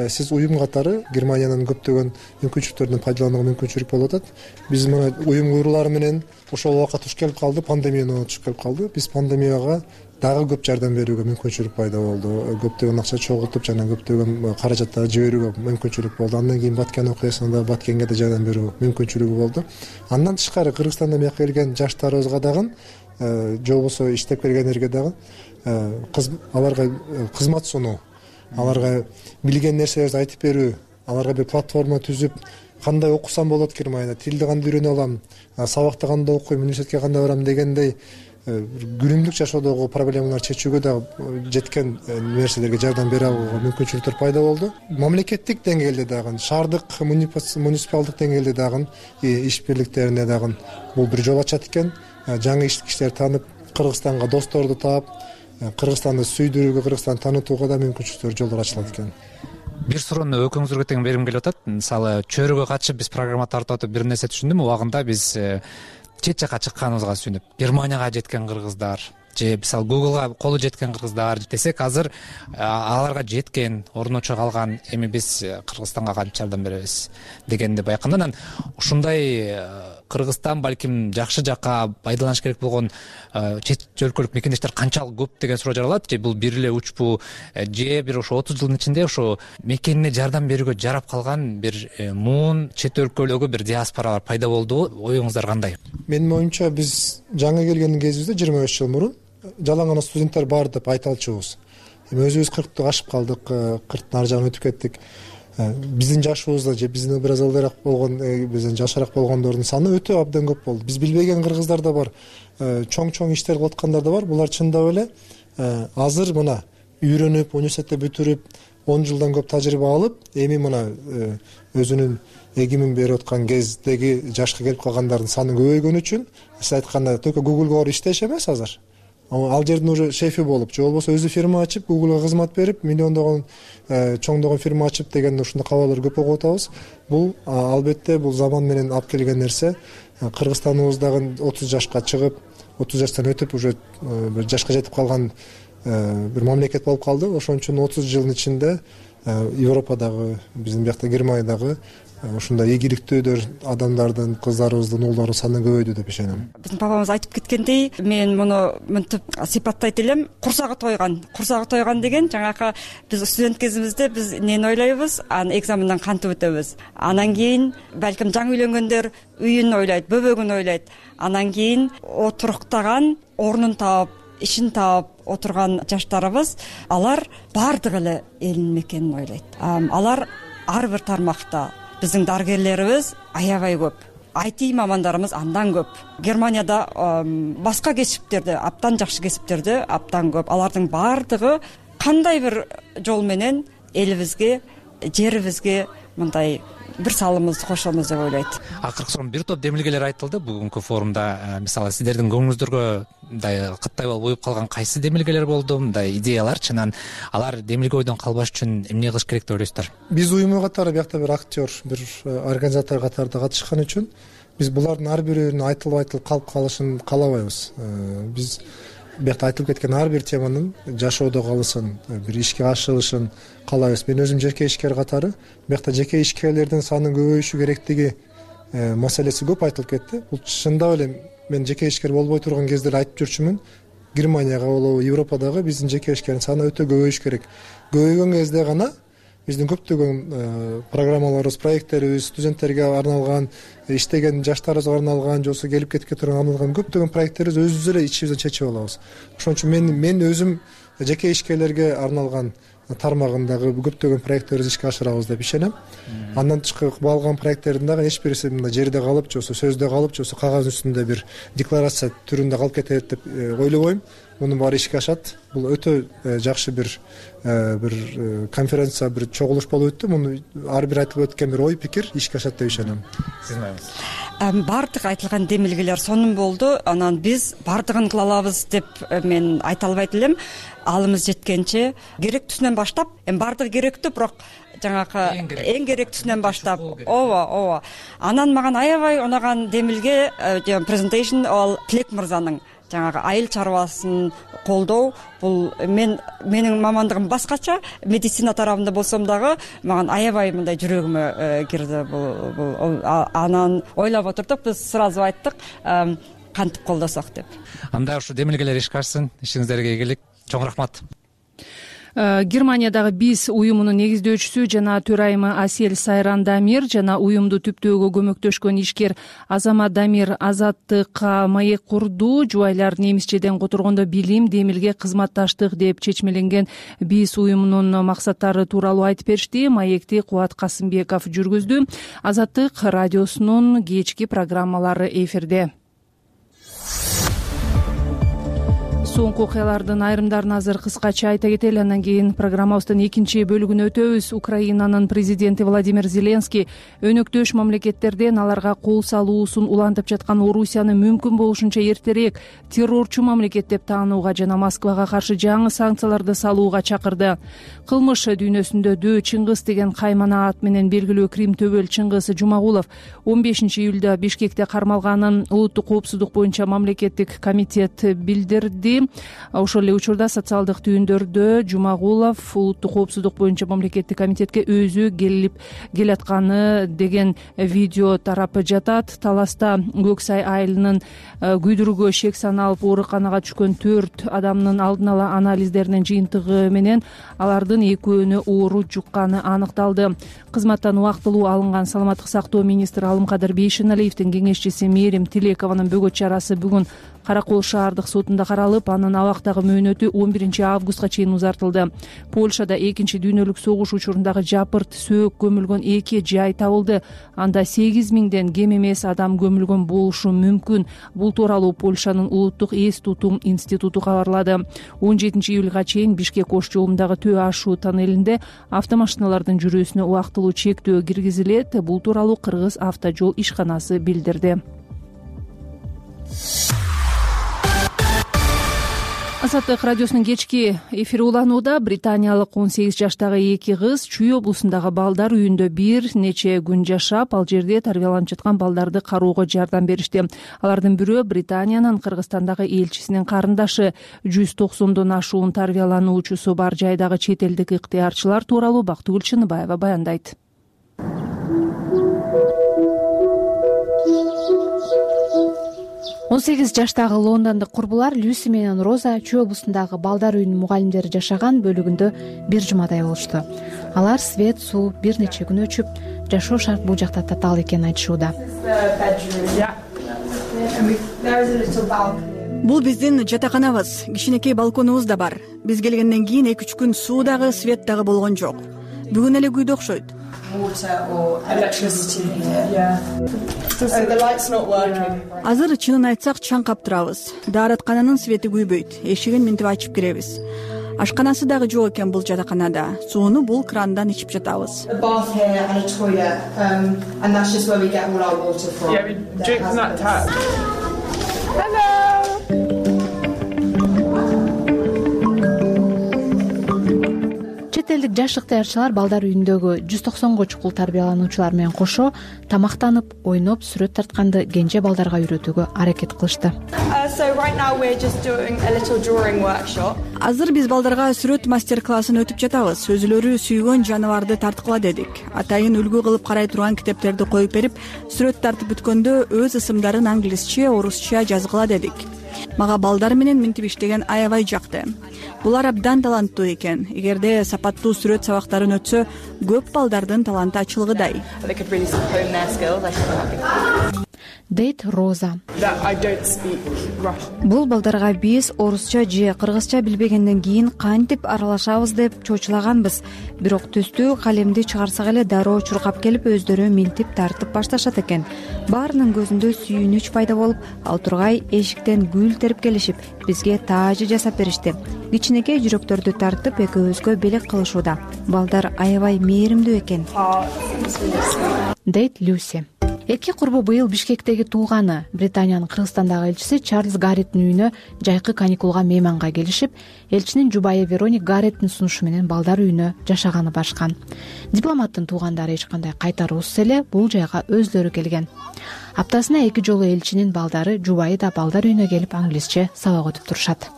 сиз уюм катары Германиянын көптөгөн мүмкүнчүлүктөрүнөн пайдаланууга мүмкүнчүлүк болуп атат. Биз мына уюм курулары менен ошол убакыт туш келип калды, пандемияны туш келип калды. Биз пандемияга дагы көп жардам берүүгө мүмкүнчүлүк пайда болду. Көптөгөн акча чогултуп жана көптөгөн каражаттарды жиберүүгө мүмкүнчүлүк болду. Андан кийин Баткен окуясында Баткенге да жардам берүү мүмкүнчүлүгү болду. Андан тышкары Кыргызстандан бияка келген жаштарыбызга дагы же болбосо иштеп келгендерге дагы аларга кызмат сунуу, аларга билген нерселерди айтып берүү, аларга бир платформа түзүп, кандай окусам болот Германияда, тилди кандай үйрөнө алам, сабакта кандай окуйм, университетке кандай барам дегендей күнүмдүк жашоодогу проблемаларды чечүүгө дагы жеткен нерселерге жардам бере алууга мүмкүнчүлүктөр пайда болду. Мамлекеттик деңгээлде дагы, шаардык муниципалдык деңгээлде дагы иш бирликтерине дагы бул бир жол ачат экен. Жаңы иш кишилерди таанып, Кыргызстанга досторду таап, Кыргызстанды сүйдүрүүгө, Кыргызстанды таанытууга да мүмкүнчүлүктөр, жолдор ачылат экен. Бир суроону экөөңүзгө тең бергим келип атат. Мисалы чөйрөгө катышып биз программа тартып атып бир нерсе түшүндүм. Убагында биз чет жакка чыкканыбызга сүйүнүп, Германияга жеткен кыргыздар же мисалы Googleга колу жеткен кыргыздар десек, азыр аларга жеткен, орночо калган, эми биз Кыргызстанга кантип жардам беребиз дегенди байкадым. Анан ушундай Кыргызстан балким жакшы жакка пайдаланыш керек болгон чет өлкөлүк мекендештер канчалык көп деген суроо жаралат. Же бул бир эле учпу, же бир ошо отуз жылдын ичинде ошо мекенине жардам берүүгө жарап калган бир муун чет өлкөлөгө бир диаспоралар пайда болдубу? Оюңуздар кандай? Менин оюмча, биз жаңы келген кезибизде жыйырма беш жыл мурун жалаң гана студенттер бар деп айта алчубуз. Эми өзүбүз кыркты ашып калдык, кырктын ар жагына өтүп кеттик. Биздин жашыбызда же бизден бир аз алдараак болгон, бизден жашыраак болгондордун саны өтө абдан көп болду. Биз билбеген кыргыздар да бар, чоң-чоң иштер кылып аткандар да бар. Булар чындап эле азыр мына үйрөнүп, университетте бүтүрүп, он жылдан көп тажрыйба алып, эми мына өзүнүн эгимин берип аткан кездеги жашка келип калгандардын саны көбөйгөн үчүн, сиз айткандай только Google'га барып иштеш эмес азыр. Ал жердин уже шефи болуп, же болбосо өзү фирма ачып, Google'га кызмат берип, миллиондогон, чоңдогон фирма ачып деген ушундай кабарлар көп угуп атабыз. Бул албетте бул заман менен алып келген нерсе. Кыргызстаныбыздагы отуз жашка чыгып, отуз жаштан өтүп уже бир жашка жетип калган бир мамлекет болуп калды. Ошон үчүн отуз жылдын ичинде Европадагы, биздин биякта Германиядагы ушундай ийгиликтүү адамдардын, кыздарыбыздын, уулдардын саны көбөйдү деп ишенем. Биздин бабамыз айтып кеткендей, мен муну мынтип сыйпаттайт элем. Курсагы тойгон. Курсагы тойгон деген жаңакы биз студент кезибизде биз эмнени ойлойбуз? Анан экзаменден кантип өтөбүз? Анан кийин балким жаңы үйлөнгөндөр үйүн ойлойт, бөбөгүн ойлойт. Анан кийин отуруктаган, орнун таап, ишин таап отурган жаштарыбыз, алар баардыгы эле элин мекенин ойлойт. Алар ар бир тармакта биздин дарыгерлерибиз аябай көп. ай ти мамандарыбыз андан көп. Германияда башка кесиптерде, абдан жакшы кесиптерде абдан көп. Алардын баардыгы кандай бир жол менен элибизге, жерибизге мындай бир салымыбызды кошобуз деп ойлойт. Акыркы сонун бир топ демилгелер айтылды бүгүнкү форумда. Мисалы сиздердин көңүлүңүздөргө мындай кыттай болуп уюп калган кайсы демилгелер болду? Мындай идеяларчы, анан алар демилге ойдон калбаш үчүн эмне кылыш керек деп ойлойсуздар? Биз уюму катары биякта бир актер, бир организатор катарында катышкан үчүн биз булардын ар бирөөнүн айтылып айтылып калып калышын каалабайбыз. Биз биякта айтылып кеткен ар бир теманын жашоодо калышын, бир ишке ашырылышын каалайбыз. Мен өзүм жеке ишкер катары биякта жеке ишкерлердин санын көбөйүшү керектиги маселеси көп айтылып кетти. Бул чындап эле мен жеке ишкер болбой турган кезде эле айтып жүрчүмүн. Германияга болобу, Европадагы биздин жеке ишкердин саны өтө көбөйүш керек. Көбөйгөн кезде гана биздин көптөгөн программаларыбыз, проекттерибиз, студенттерге арналган, иштеген жаштарыбызга арналган, же болбосо келип кетке турган арналган көптөгөн проекттерибиз өзүбүз эле ичибизден чечип алабыз. Ошон үчүн мен мен өзүм жеке ишкерлерге арналган тармагындагы көптөгөн проекттерибизди ишке ашырабыз деп ишенем. Андан тышкары калган проекттердин дагы эч бирisi мындай жерде калып, же болбосо сөздө калып, же болбосо кагаз үстүндө бир декларация түрүндө калып кетет деп ойлобойм. Мунун баары ишке ашат. Бул өтө жакшы бир бир конференция, бир чогулуш болуп өттү. Муну ар бир айтылып өткөн бир ой пикир ишке ашат деп ишенем. Сиздин оюңуз? Баардык айтылган демилгелер сонун болду. Анан биз баардыгын кыла алабыз деп мен айта албайт элем. Алымыз жеткенче керектүүсүнөн баштап, эми баардыгы керектүү, бирок жаңакы эң керектүүсүнөн баштап, ооба, ооба. Анан маган аябай унаган демилге презентейшн ал Тилек мырзанын жаңагы айыл чарбасын колдоо. Бул мен менин мамандыгым башкача, медицина тарабында болсом дагы маган аябай мындай жүрөгүмө кирди. Бул анан ойлоп отурдук, биз сразу айттык кантип колдосок деп. Анда ушу демилгелер ишке ашсын, ишиңиздерге ийгилик. Чоң рахмат. Германиядагы биз уюмунун негиздөөчүсү жана төрайымы Асель Сайран Дамир жана уюмду түптөөгө көмөктөшкөн ишкер Азамат Дамир азаттыкка маек курду. Жубайлар немисчеден которгондо билим, демилге, кызматташтык деп чечмеленген биз уюмунун максаттары тууралуу айтып беришти. Маекти Кубат Касымбеков жүргүздү. Азаттык радиосунун кечки программалары эфирде. соңку окуялардын айрымдарын азыр кыскача айта кетели, андан кийин программабыздын экинчи бөлүгүнө өтөбүз. Украинанын президенти Владимир Зеленский өнөктөш мамлекеттерден аларга кол салуусун улантып жаткан Орусияны мүмкүн болушунча эртерээк террорчу мамлекет деп таанууга жана Москвага каршы жаңы санкцияларды салууга чакырды. Кылмыш дүйнөсүндө Дөө Чыңгыз деген каймана ат менен белгилүү Крим төбөл Чыңгыз Жумагулов он бешинчи июлда Бишкекте кармалганын улуттук коопсуздук боюнча мамлекеттик комитет билдирди. Ошол эле учурда социалдык түйүндөрдө Жумагулов улуттук коопсуздук боюнча мамлекеттик комитетке өзү келип келатканы деген видео тарап жатат. Таласта Көксай айылынын күйдүрүүгө шек саналып ооруканага түшкөн төрт адамдын алдын ала анализдеринин жыйынтыгы менен алардын экөөнү оору жукканы аныкталды. Кызматтан убактылуу алынган саламаттык сактоо министри Алымкадыр Бейшеналиевдин кеңешчиси Мээрим Тилекованын бөгөт чарасы бүгүн Каракол шаардык сотунда каралып, анын абактагы мөөнөтү он биринчи августка чейин узартылды. Польшада экинчи дүйнөлүк согуш учурундагы жапырт сөөк көмүлгөн эки жай табылды. Анда сегиз миңден кем эмес адам көмүлгөн болушу мүмкүн. Бул тууралуу Польшанын улуттук эс тутум институту кабарлады. он жетинчи июлга чейин Бишкек Ош жолундагы Төө ашуу тоннелинде автомашиналардын жүрүүсүнө убактылуу чектөө киргизилет. Бул тууралуу Кыргыз автожол ишканасы билдирди. Азаттык радиосунун кечки эфири уланууда. Британиялык он сегиз жаштагы эки кыз Чүй облусундагы балдар үйүндө бир нече күн жашап, ал жерде тарбияланып жаткан балдарды кароого жардам беришти. Алардын бирөө Британиянын Кыргызстандагы элчисинин карындашы. жүз токсондон ашуун тарбиялануучусу бар жайдагы чет элдик ыктыярчылар тууралуу Бактыгүл Чыныбаева баяндайт. он сегиз жаштагы лондондук курбулар Люси менен Роза Чүй облусундагы балдар үйүнүн мугалимдери жашаган бөлүгүндө бир жумадай болушту. Алар свет, суу бир нече күн өчүп, жашоо шарт бул жакта татаал экенин айтышууда. Бул биздин жатаканабыз, кичинекей балконубуз да бар. Биз келгенден кийин эки үч күн суу дагы, свет дагы болгон жок. Бүгүн эле күйдө окшойт. Азыр чынын айтсак чаңкап турабыз. Даараткананын свети күйбөйт. Эшигин минтип ачып киребиз. Ашканасы дагы жок экен бул жатаканада. Сууну бул крандан ичип жатабыз. Чет элдик жаш ыктыярчылар балдар үйүндөгү жүз токсонго чукул тарбиялануучулар менен кошо тамактанып, ойноп, сүрөт тартканды кенже балдарга үйрөтүүгө аракет кылышты. Азыр биз балдарга сүрөт мастер-классын өтүп жатабыз. Өзүлөрү сүйгөн жаныбарды тарткыла дедик. Атайын үлгү кылып карай турган китептерди коюп берип, сүрөт тартып бүткөндө өз ысымдарын англисче, орусча жазгыла дедик. Мага балдар менен минтип иштеген аябай жакты. Булар абдан таланттуу экен. Эгерде сапаттуу сүрөт сабактарын өтсө, көп балдардын таланты ачылгыдай. Дейт Роза. Бул балдарга биз орусча же кыргызча билбегенден кийин кантип аралашабыз деп чочулаганбыз. Бирок түстүү калемди чыгарсак эле дароо чуркап келип өздөрү минтип тартып башташат экен. Баарынын көзүндө сүйүнүч пайда болуп, ал тургай эшиктен гүл терип келишип, бизге таажы жасап беришти. Кичинекей жүрөктөрдү тартып экөөбүзгө белек кылышууда. Балдар аябай мээримдүү экен. Дейт Люси. Эки курбу быйыл Бишкектеги туулганы. Британиянын Кыргызстандагы элчиси Чарльз Гарреттин үйүнө жайкы каникулга мейманга келишип, элчинин жубайы Вероник Гарреттин сунушу менен балдар үйүнө жашаганы барышкан. Дипломаттын туугандары эч кандай кайтаруусуз эле бул жайга өзлөрү келген. Аптасына эки жолу элчинин балдары, жубайы да балдар үйүнө келип англисче сабак өтүп турушат.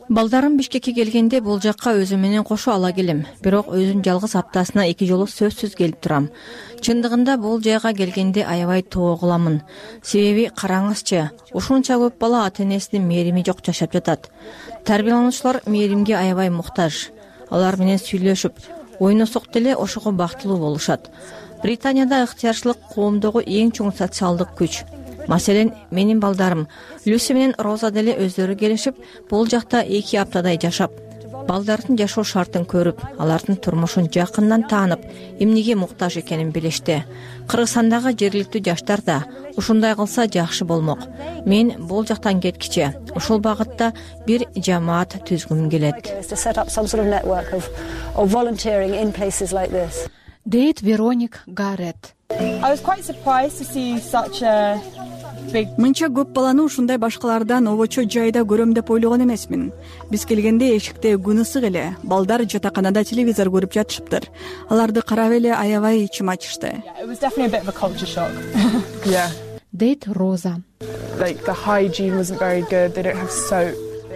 Балдарым Бишкекке келгенде бул жакка өзүм менен кошо ала келем. Бирок өзүм жалгыз аптасына эки жолу сөзсүз келип турам. Чындыгында бул жайга келгенде аябай тоо кыламын. Себеби караңызчы, ушунча көп бала ата-энесинин мээрими жок жашап жатат. Тарбиялануучулар мээримге аябай муктаж. Алар менен сүйлөшүп, ойносок деле ошого бактылуу болушат. Британияда ыктыярчылык коомдогу эң чоң социалдык күч. Маселен, менин балдарым Люси менен Роза деле өздөрү келишип, бул жакта эки аптадай жашап, балдардын жашоо шартын көрүп, алардын турмушун жакындан таанып, эмнеге муктаж экенин билишти. Кыргызстандагы жергиликтүү жаштар да ушундай кылса жакшы болмок. Мен бул жактан кеткиче ушул багытта бир жамаат түзгүм келет. Дейт Вероник Гаррет. Мынча көп баланы ушундай башкалардан обочо жайда көрөм деп ойлогон эмесмин. Биз келгенде эшикте күн ысык эле, балдар жатаканада телевизор көрүп жатышыптыр. Аларды карап эле аябай ичим ачышты. Дейт Роза.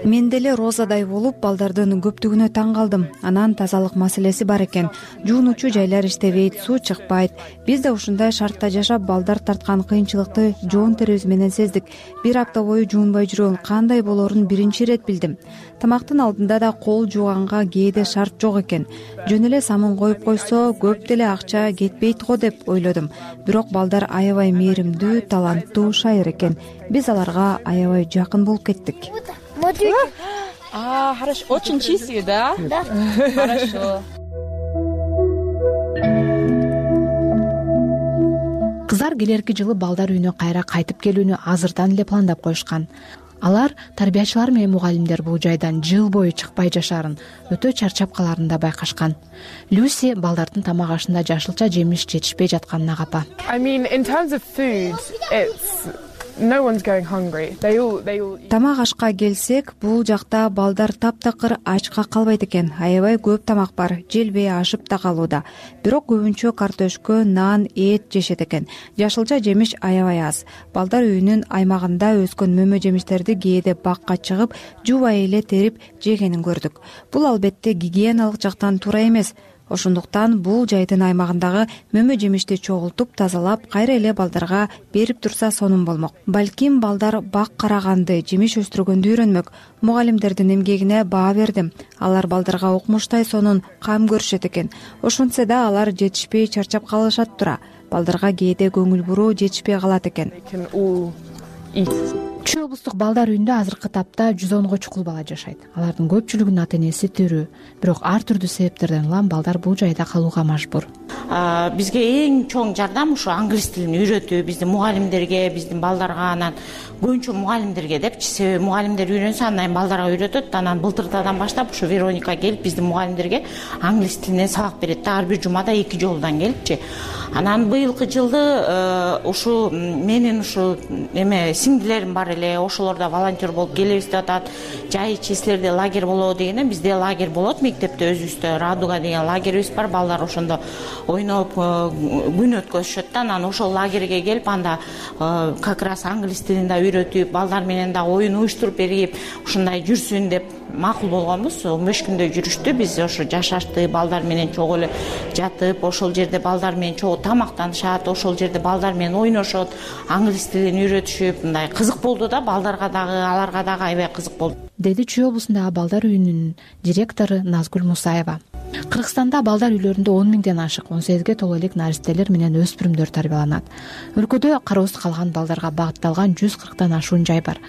Мен деле Розадай болуп балдардын көптүгүнө таң калдым. Анан тазалык маселеси бар экен. Жуунуучу жайлар иштебейт, суу чыкпайт. Биз да ушундай шартта жашап, балдар тарткан кыйынчылыкты жоон терибиз менен сездик. Бир апта бою жуунбай жүрүүнүн кандай болоорун биринчи ирет билдим. Тамактын алдында да кол жууганга кээде шарт жок экен. Жөн эле самын коюп койсо, көп деле акча кетпейт го деп ойлодум. Бирок балдар аябай мээримдүү, таланттуу шайыр экен. Биз аларга аябай жакын болуп кеттик. А, хорошо, очень чистые, да? Да. Хорошо. Кыздар келерки жылы балдар үйүнө кайра кайтып келүүнү азырдан эле пландап коюшкан. Алар тарбиячылар менен мугалимдер бул жайдан жыл бою чыкпай жашаарын, өтө чарчап калаарын да байкашкан. Люси балдардын тамак ашында жашылча жемиш жетишпей жатканына капа. I mean, in terms of food, it's no one's going hungry. They all they all Тамак ашка келсек, бул жакта балдар таптакыр ачка калбайт экен. Аябай көп тамак бар, желбей ашып да калууда. Бирок көбүнчө картөшкө, нан, эт жешет экен. Жашылча жемиш аябай аз. Балдар үйүнүн аймагында өскөн мөмө жемиштерди кээде бакка чыгып, жубай эле терип жегенин көрдүк. Бул албетте гигиеналык жактан туура эмес. Ошондуктан бул жайдын аймагындагы мөмө жемишти чогултуп, тазалап, кайра эле балдарга берип турса сонун болмок. Балким балдар бак караганды, жемиш өстүргөндү үйрөнмөк. Мугалимдердин эмгегине баа бердим. Алар балдарга укмуштай сонун кам көрүшөт экен. Ошентсе да алар жетишпей чарчап калышат тура. Балдарга кээде көңүл буруу жетишпей калат экен. Чүй облустук балдар үйүндө азыркы тапта жүз онго чукул бала жашайт. Алардын көпчүлүгүнүн ата энеси тирүү. Бирок ар түрдүү себептерден улам балдар бул жайда калууга мажбур. Бизге эң чоң жардам ушу англис тилин үйрөтүү, биздин мугалимдерге, биздин балдарга, анан көбүнчө мугалимдерге депчи. Себеби мугалимдер үйрөнсө андан балдарга үйрөтөт. Анан былтыртадан баштап ушу Вероника келип биздин мугалимдерге англис тилинен сабак берет да, ар бир жумада эки жолдон келипчи. Анан быйылкы жылды ушу менин ушу эме сиңдилерим бар эле, ошолор да волонтер болуп келебиз деп атат. Жай числерде лагерь болобу дегенде бизде лагерь болот мектепте өзүбүздө. Радуга деген лагерьибиз бар. Балдар ошондо ойноп күн өткөзүшөт да. Анан ошол лагерьге келип анда как раз англис тилин да үйрөтүп, балдар менен да оюн уюштуруп берип, ушундай жүрсүн деп макул болгонбуз. он беш күндөй жүрүштү. Биз ошо жашашты, балдар менен чогуу эле жатып, ошол жерде балдар менен чогуу тамактанышат, ошол жерде балдар менен ойношот, англис тилин үйрөтүшүп, мындай кызык болду да, балдарга дагы, аларга дагы аябай кызык болду, деди Чүй облусундагы балдар үйүнүн директору Назгүл Мусаева. Кыргызстанда балдар үйлөрүндө он миңден ашык он сегизге толо элек наристелер менен өспүрүмдөр тарбияланат. Өлкөдө кароосуз калган балдарга багытталган жүз кырктан ашуун жай бар.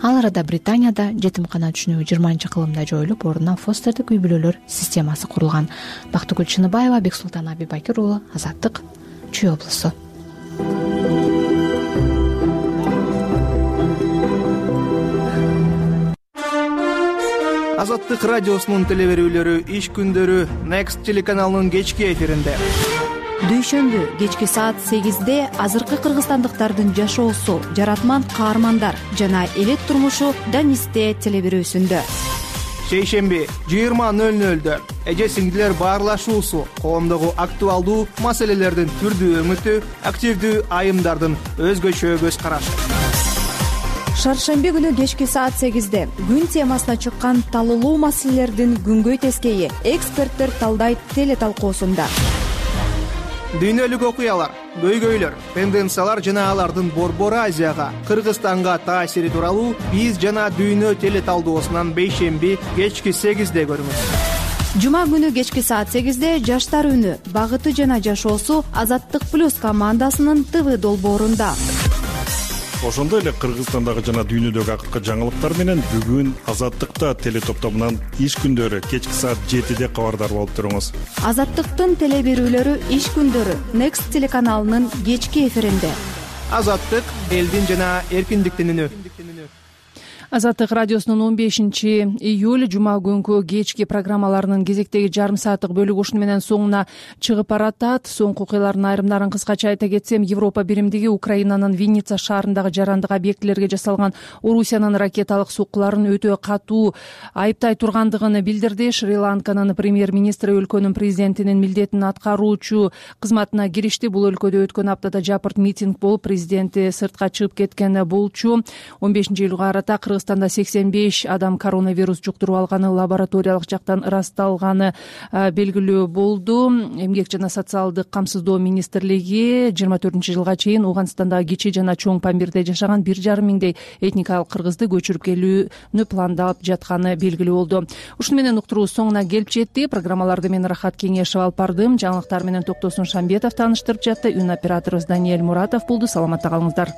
Ал арада Британияда жетимкана түшүнүгү жыйырманчы кылымда жоюлуп, ордуна фостердик үй бүлөлөр системасы курулган. Бактыгүл Чыныбаева, Бексултан Абибакир уулу, Азаттык, Чүй облусу. Азаттык радиосунун телеберүүлөрү иш күндөрү Next телеканалынын кечки эфиринде. Дүйшөмбү кечки саат сегизде азыркы кыргызстандыктардын жашоосу, жаратман каармандар жана элет турмушу Данисте телеберүүсүндө. Шейшемби жыйырма нөл нөлдө эже сиңдилер баарлашуусу, коомдогу актуалдуу маселелердин түрдүү өңүтү, активдүү айымдардын өзгөчө көз карашы. Шаршемби күнү кечки саат сегизде күн темасына чыккан талуулуу маселелердин күнгөй тескейи эксперттер талдайт теле талкуусунда. Дүйнөлүк окуялар, көйгөйлөр, тенденциялар жана алардын Борбор Азияга, Кыргызстанга таасири тууралуу биз жана дүйнө теле талдоосунан бейшемби кечки сегизде көрүңүз. Жума күнү кечки саат сегизде жаштар үнү, багыты жана жашоосу Азаттык плюс командасынын ТВ долбоорунда. ошондой эле Кыргызстандагы жана дүйнөдөгү акыркы жаңылыктар менен бүгүн Азаттыкта теле топтомунан иш күндөрү кечки саат жетиде кабардар болуп туруңуз. Азаттыктын теле берүүлөрү иш күндөрү Next телеканалынын кечки эфиринде. Азаттык элдин жана эркиндиктин үнү. Азаттык радиосунун он бешинчи июль жума күнкү кечки программаларынын кезектеги жарым сааттык бөлүгү ушуну менен соңуна чыгып баратат. Соңку окуялардын айрымдарын кыскача айта кетсем, Европа биримдиги Украинанын Винница шаарындагы жарандык объектилерге жасалган Орусиянын ракеталык соккуларын өтө катуу айыптай тургандыгын билдирди. Шри-Ланканын премьер-министри өлкөнүн президентинин милдетин аткаруучу кызматына киришти. Бул өлкөдө өткөн аптада жапырт митинг болуп, президенти сыртка чыгып кеткен болчу. он бешинчи июлга карата Кыргызстанда сексен беш адам коронавирус жуктуруп алганы лабораториялык жактан ырасталганы белгилүү болду. Эмгек жана социалдык камсыздоо министрлиги жыйырма төртүнчү жылга чейин Ооганстандагы кичи жана чоң Памирде жашаган бир жарым миңдей этникалык кыргызды көчүрүп келүүнү пландап жатканы белгилүү болду. Ушуну менен уктуруубуз соңуна келип жетти. Программаларды мен Рахат Кеңешев алып бардым. Жаңылыктар менен Токтосун Шамбетов тааныштырып жатты. Үн операторубуз Даниэль Муратов болду. Саламатта калыңыздар.